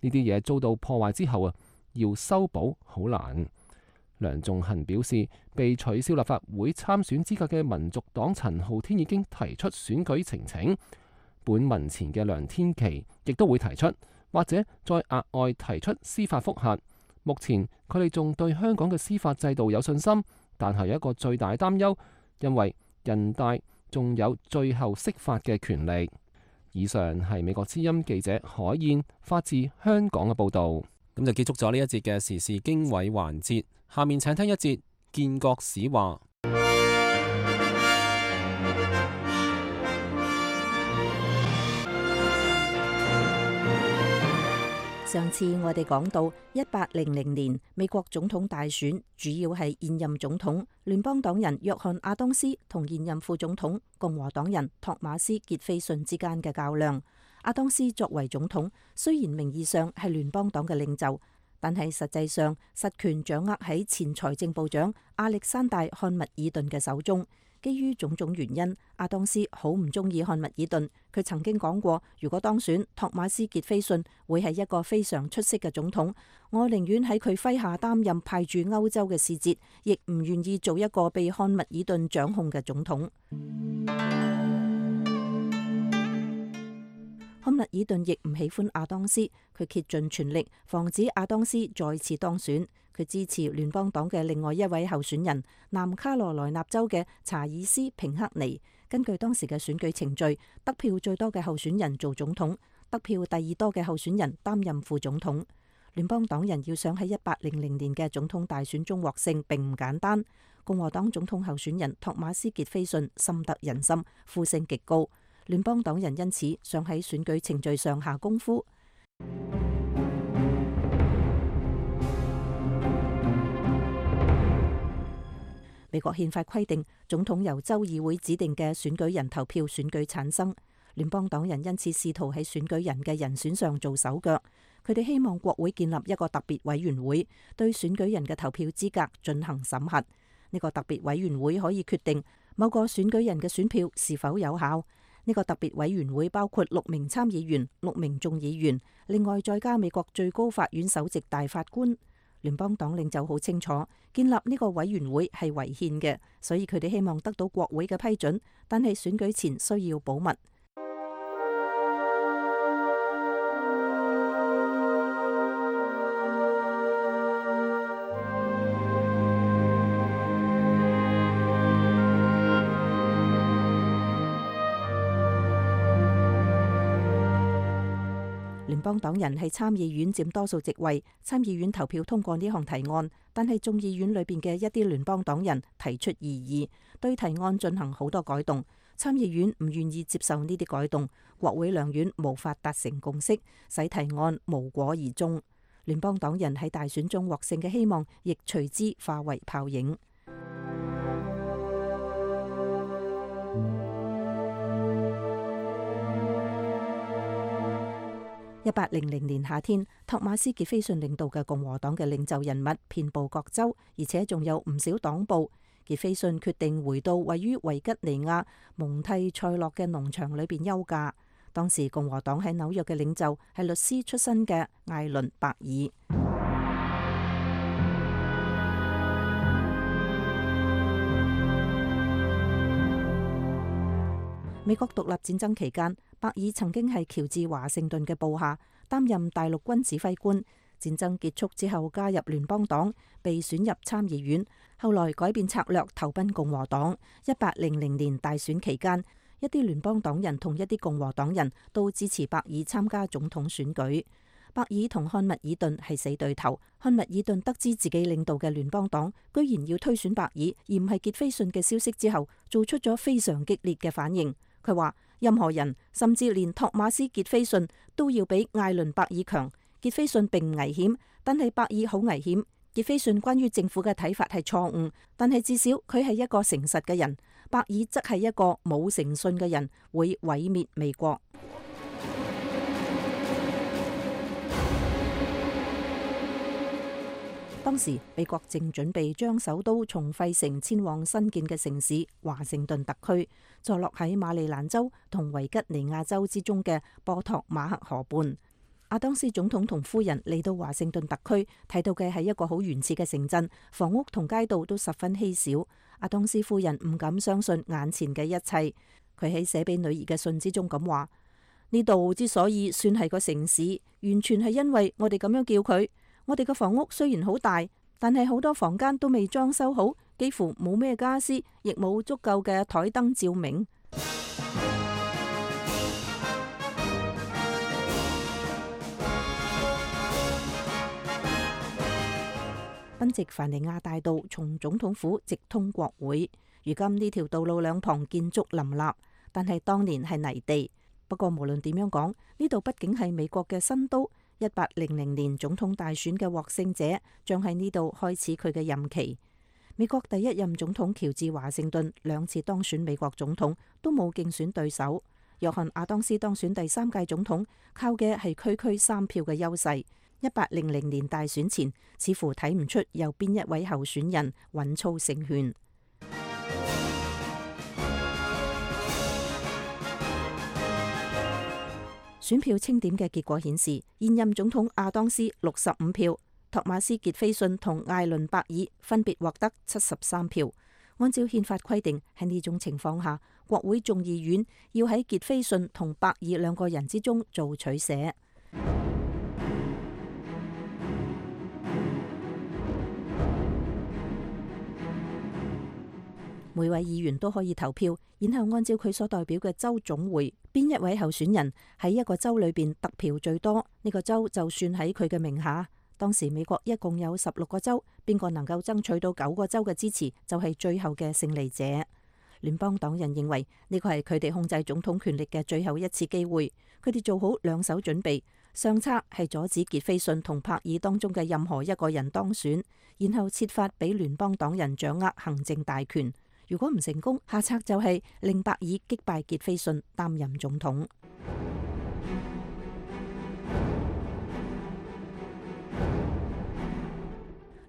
呢啲嘢遭到破壞之後啊，要修補好難。梁頌恆表示，被取消立法會參選資格嘅民族黨陳浩天已經提出選舉呈請，本民前嘅梁天琦亦都會提出，或者再額外提出司法覆核。目前佢哋仲對香港嘅司法制度有信心，但係有一個最大擔憂，因為人大仲有最後釋法嘅權力。以上係美國之音記者海燕發自香港嘅報導。咁就結束咗呢一節嘅時事經緯環節，下面請聽一節建國史話。上次我哋講到一八零零年美國總統大選，主要係現任總統聯邦黨人約翰亞當斯同現任副總統共和黨人托馬斯傑斐遜之間嘅較量。亞當斯作為總統，雖然名義上係聯邦黨嘅領袖，但係實際上實權掌握喺前財政部長亞歷山大漢密爾頓嘅手中。基於種種原因，亞當斯好唔中意漢密爾頓。佢曾經講過，如果當選，托馬斯傑斐遜會係一個非常出色嘅總統。我寧願喺佢麾下擔任派駐歐洲嘅使節，亦唔願意做一個被漢密爾頓掌控嘅總統。漢密爾頓亦唔喜歡亞當斯，佢竭盡全力防止亞當斯再次當選。佢支持聯邦黨嘅另外一位候選人，南卡羅來納州嘅查爾斯平克尼。根據當時嘅選舉程序，得票最多嘅候選人做總統，得票第二多嘅候選人擔任副總統。聯邦黨人要想喺一八零零年嘅總統大選中獲勝並唔簡單。共和黨總統候選人托馬斯傑斐遜深得人心，呼聲極高。聯邦黨人因此想喺選舉程序上下功夫。美國憲法規定，總統由州議會指定嘅選舉人投票選舉產生。聯邦黨人因此試圖喺選舉人嘅人選上做手腳。佢哋希望國會建立一個特別委員會，對選舉人嘅投票資格進行審核。呢個特別委員會可以決定某個選舉人嘅選票是否有效。呢個特別委員會包括六名參議員、六名眾議員，另外再加美國最高法院首席大法官。聯邦黨領袖好清楚，建立呢個委員會係違憲嘅，所以佢哋希望得到國會嘅批准，但係選舉前需要保密。聯邦黨人喺參議院佔多數席位，參議院投票通過呢項提案，但係眾議院裏邊嘅一啲聯邦黨人提出異議，對提案進行好多改動。參議院唔願意接受呢啲改動，國會兩院無法達成共識，使提案無果而終。聯邦黨人喺大選中獲勝嘅希望，亦隨之化為泡影。一八零零年夏天，托馬斯傑斐遜領導嘅共和黨嘅領袖人物遍佈各州，而且仲有唔少黨部。傑斐遜決定回到位於維吉尼亞蒙蒂塞洛嘅農場裏邊休假。當時共和黨喺紐約嘅領袖係律師出身嘅艾倫伯爾。美國獨立戰爭期間，伯爾曾經係喬治華盛頓嘅部下，擔任大陸軍指揮官。戰爭結束之後，加入聯邦黨，被選入參議院，後來改變策略，投奔共和黨。一八零零年大選期間，一啲聯邦黨人同一啲共和黨人都支持伯爾參加總統選舉。伯爾同漢密爾頓係死對頭。漢密爾頓得知自己領導嘅聯邦黨居然要推選伯爾，而唔係傑斐遜嘅消息之後，做出咗非常激烈嘅反應。佢話任何人，甚至連托馬斯傑斐遜都要比艾倫伯爾強。傑斐遜並唔危險，但係伯爾好危險。傑斐遜關於政府嘅睇法係錯誤，但係至少佢係一個誠實嘅人。伯爾則係一個冇誠信嘅人，會毀滅美國。當時美國正準備將首都從費城遷往新建嘅城市華盛頓特區，坐落喺馬里蘭州同維吉尼亞州之中嘅波托馬克河畔。亞當斯總統同夫人嚟到華盛頓特區，睇到嘅係一個好原始嘅城鎮，房屋同街道都十分稀少。亞當斯夫人唔敢相信眼前嘅一切。佢喺寫俾女兒嘅信之中咁話：呢度之所以算係個城市，完全係因為我哋咁樣叫佢。我哋嘅房屋雖然好大，但係好多房間都未裝修好，幾乎冇咩家私，亦冇足夠嘅台燈照明。賓夕凡尼亞大道從總統府直通國會。如今呢條道路兩旁建築林立，但係當年係泥地。不過無論點樣講，呢度畢竟係美國嘅新都。一八零零年總統大選嘅獲勝者將喺呢度開始佢嘅任期。美國第一任總統喬治華盛頓兩次當選美國總統都冇競選對手。約翰亞當斯當選第三屆總統，靠嘅係區區三票嘅優勢。一八零零年大選前，似乎睇唔出有邊一位候選人穩操勝券。選票清點嘅結果顯示，現任總統亞當斯六十五票，托馬斯傑菲遜同艾倫伯爾分別獲得七十三票。按照憲法規定，喺呢種情況下，國會眾議院要喺傑菲遜同伯爾兩個人之中做取捨。每位議員都可以投票，然後按照佢所代表嘅州總會，邊一位候選人喺一個州裏邊得票最多，呢個州就算喺佢嘅名下。當時美國一共有十六個州，邊個能夠爭取到九個州嘅支持，就係最後嘅勝利者。聯邦黨人認為呢個係佢哋控制總統權力嘅最後一次機會，佢哋做好兩手準備，上策係阻止傑菲遜同柏爾當中嘅任何一個人當選，然後設法俾聯邦黨人掌握行政大權。如果唔成功，下策就係令伯爾擊敗傑菲遜擔任總統。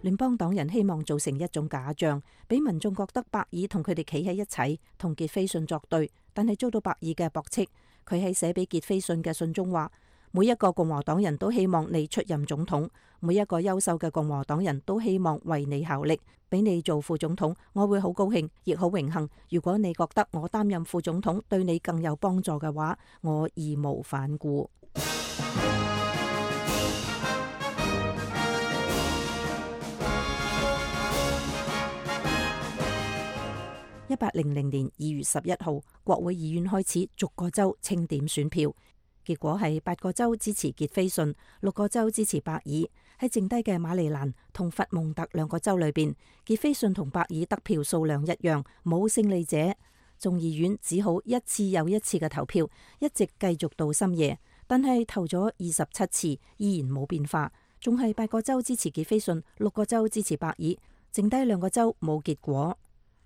聯邦黨人希望造成一種假象，俾民眾覺得伯爾同佢哋企喺一齊，同傑菲遜作對，但係遭到伯爾嘅駁斥。佢喺寫俾傑菲遜嘅信中話：每一個共和黨人都希望你出任總統，每一個優秀嘅共和黨人都希望為你效力，俾你做副總統，我會好高興，亦好榮幸。如果你覺得我擔任副總統對你更有幫助嘅話，我義無反顧。一八零零年二月十一號，國會議院開始逐個州清點選票，結果係八個州支持傑菲遜，六個州支持伯爾。喺剩低嘅馬里蘭同佛蒙特兩個州裏邊，傑菲遜同伯爾得票數量一樣，冇勝利者。眾議院只好一次又一次嘅投票，一直繼續到深夜。但係投咗二十七次，依然冇變化，仲係八個州支持傑菲遜，六個州支持伯爾，剩低兩個州冇結果。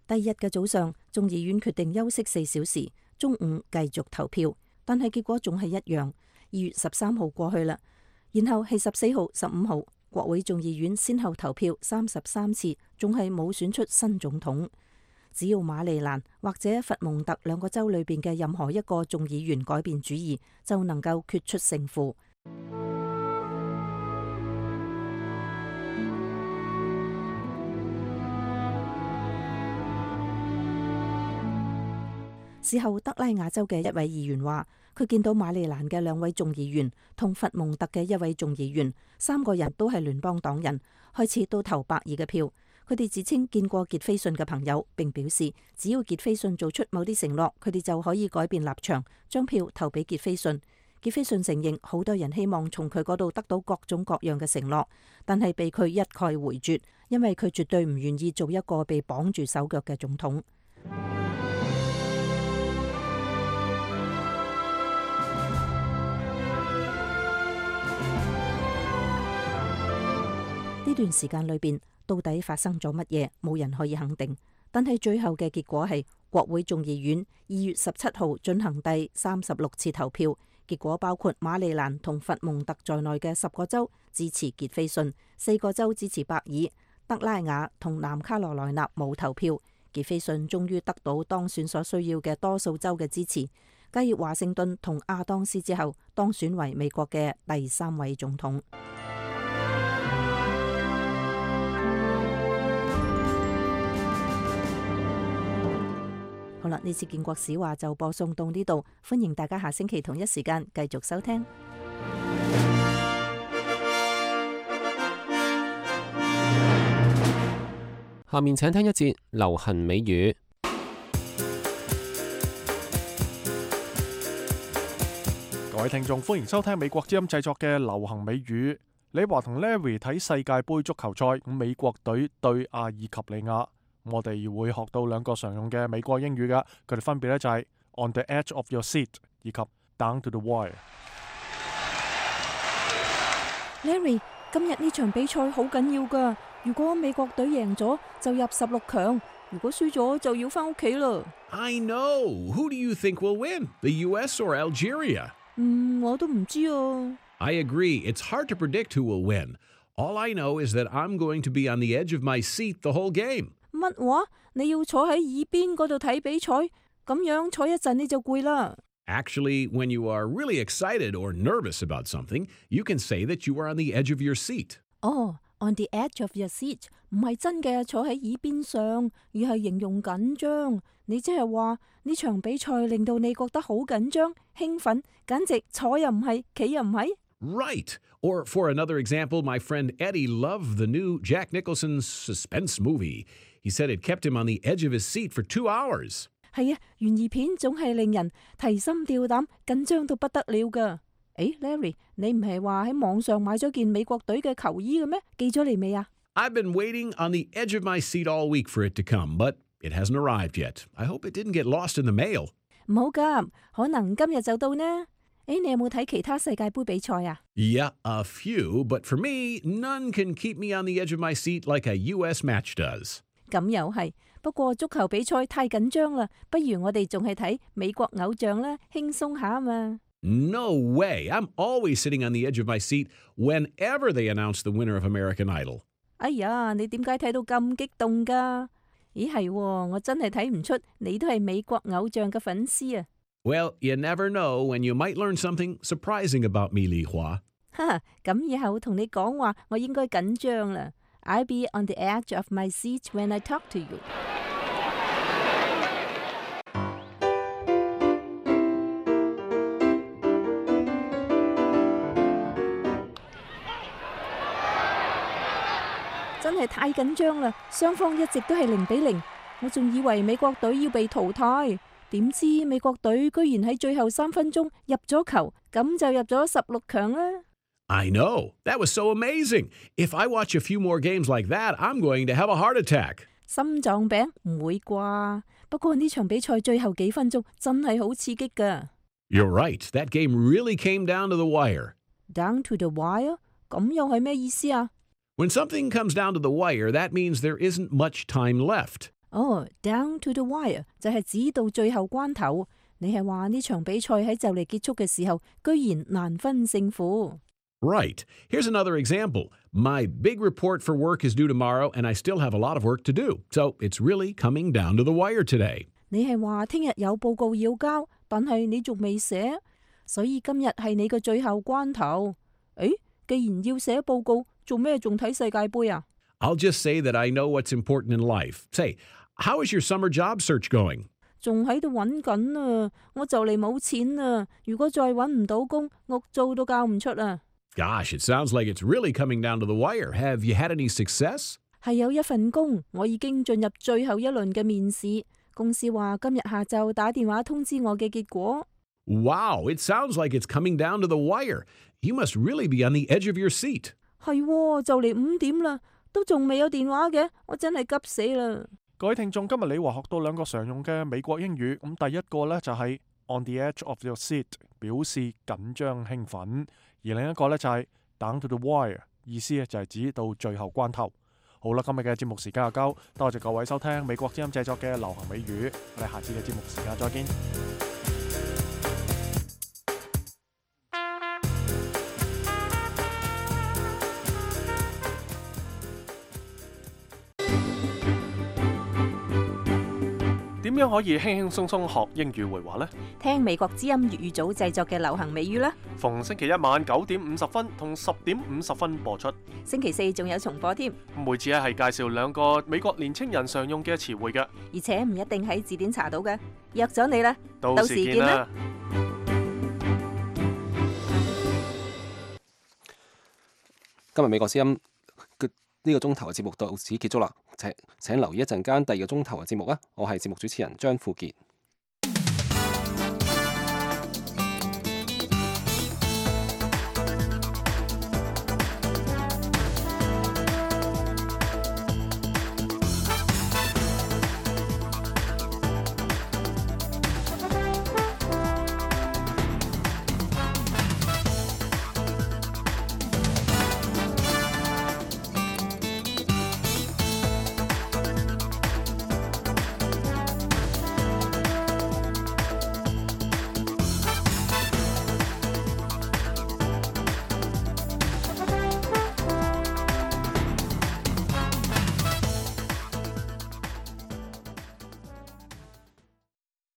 第二日嘅早上，眾議院決定休息四小時，中午繼續投票，但係結果仲係一樣。二月十三號過去啦，然後係十四號、十五號，國會眾議院先後投票三十三次，仲係冇選出新總統。只要馬里蘭或者佛蒙特兩個州裏邊嘅任何一個眾議員改變主意，就能夠決出勝負。事後，德拉瓦州嘅一位議員話，佢見到馬里蘭嘅兩位眾議員同佛蒙特嘅一位眾議員，三個人都係聯邦黨人，開始都投伯爾嘅票。佢哋自稱見過傑菲遜嘅朋友，並表示只要傑菲遜做出某啲承諾，佢哋就可以改變立場，將票投俾傑菲遜。傑菲遜承認好多人希望從佢嗰度得到各種各樣嘅承諾，但係被佢一概回絕，因為佢絕對唔願意做一個被綁住手腳嘅總統。呢段時間裏邊，到底發生咗乜嘢，冇人可以肯定。但係最後嘅結果係，國會眾議院二月十七號進行第三十六次投票，結果包括馬里蘭同佛蒙特在內嘅十個州支持傑菲遜，四個州支持伯爾，德拉瓦同南卡羅來納冇投票。傑菲遜終於得到當選所需要嘅多數州嘅支持，繼華盛頓同亞當斯之後，當選為美國嘅第三位總統。好啦，呢次建國史話就播送到呢度，歡迎大家下星期同一時間繼續收聽。下面請聽一節流行美語。各位聽眾，歡迎收聽美國之音製作嘅流行美語。你話同 Larry 睇世界盃足球賽，咁美國隊對阿爾及利亞，我哋會學到兩個常用嘅美國英語㗎，佢哋分別咧就係 on the edge of your seat 以及 down to the wire。 Larry， 今日呢場比賽好緊要㗎，如果美國隊贏咗就入十六強，如果輸咗就要返屋企啦。I know. Who do you think will win? The U S or Algeria? 嗯，我都唔知啊。I agree. It's hard to predict who will win. All I know is that I'm going to be on the edge of my seat the whole game. 乜話？你要坐喺耳邊嗰度睇比賽？咁樣坐一陣你就攰啦。Actually, when you are really excited or nervous about something, you can say that you are on the edge of your seat. 哦、oh, on the edge of your seat 唔係真嘅坐喺耳邊上，而係形容緊張。你即係話呢場比賽令到你覺得好緊張、興奮，簡直坐又唔係，企又唔係。Right. Or for another example, my friend Eddie loved the new Jack Nicholson suspense movie. He said it kept him on the edge of his seat for two hours. 係啊，懸疑片總係令人提心吊膽、緊張到不得了㗎。誒 ，Larry， 你唔係話喺網上買咗件美國隊嘅球衣嘅咩？寄咗嚟未啊？ I've been waiting on the edge of my seat all week for it to come, but it hasn't arrived yet. I hope it didn't get lost in the mail. 唔好急，可能今日就到呢。誒，你有冇睇其他世界盃比賽啊？ Yeah, a few, but for me, none can keep me on the edge of my seat like a U S match does. 咁又係，不過足球比賽太緊張啦，不如我哋仲係睇美國偶像啦，輕鬆下啊嘛。No way! I'm always sitting on the edge of my seat whenever they announce the winner of American Idol. 哎呀，你點解睇到咁激動㗎？咦係，我真係睇唔出你都係美國偶像嘅粉絲啊！ Well, you never know when you might learn something surprising about me, Li Hua. 哈，咁以後同你講話，我應該緊張啦。I'll be on the edge of my seat when I talk to you. 真係太緊張啦！雙方一直都係零比零，我仲以為美國隊要被淘汰，點知美國隊居然喺最後三分鐘入咗球，咁就入咗十六強啦。I know. That was so amazing. If I watch a few more games like that, I'm going to have a heart attack. 心臟病唔會啩？不過呢場比賽最後幾分鐘真係好刺激㗎。You're right. That game really came down to the wire. Down to the wire？ 咁又係咩意思啊？ When something comes down to the wire, that means there isn't much time left. 哦、oh, down to the wire 就係指到最後關頭。你係話呢場比賽喺就嚟結束嘅時候，居然難分勝負。Right. Here's another example. My big report for work is due tomorrow, and I still have a lot of work to do. So it's really coming down to the wire today. 你係話聽日有報告要交，但係你仲未寫，所以今日係你嘅最後關頭。誒，既然要寫報告，做咩仲睇世界盃啊？ I'll just say that I know what's important in life. Say, how is your summer job search going? 仲喺度揾緊啊！我就嚟冇錢啊！如果再揾唔到工，屋租都交唔出啊！ Gosh, it sounds like it's really coming down to the wire. Have you had any success? 係有一份工，我已經進入最後一輪嘅面試。公司話今日下晝打電話通知我嘅結果。Wow, it sounds like it's coming down to the wire. You must really be on the edge of your seat. 係喎，就嚟五點啦，都仲未有電話嘅，我真係急死啦！各位聽眾，今日你話學到兩個常用嘅美國英語，咁第一個呢就係 on the edge of your seat， 表示緊張興奮。而另一個呢，就係 down to the wire， 意思就係指到最後關頭。好啦，今日嘅節目時間又夠，多謝各位收聽美國之音製作嘅流行美語，我哋下次嘅節目時間再見。點樣可以輕輕鬆鬆學英語會話呢？聽美國之音粵語組製作嘅流行美語啦！逢星期一晚九點五十分同十點五十分播出，星期四仲有重播添。每次咧係介紹兩個美國年青人常用嘅詞彙嘅，而且唔一定喺字典查到嘅。約咗你啦，到時見啦！今日美國之音呢個鐘頭嘅節目到此結束啦，請請留意一陣間第二個鐘頭嘅節目啊！我係節目主持人張富傑。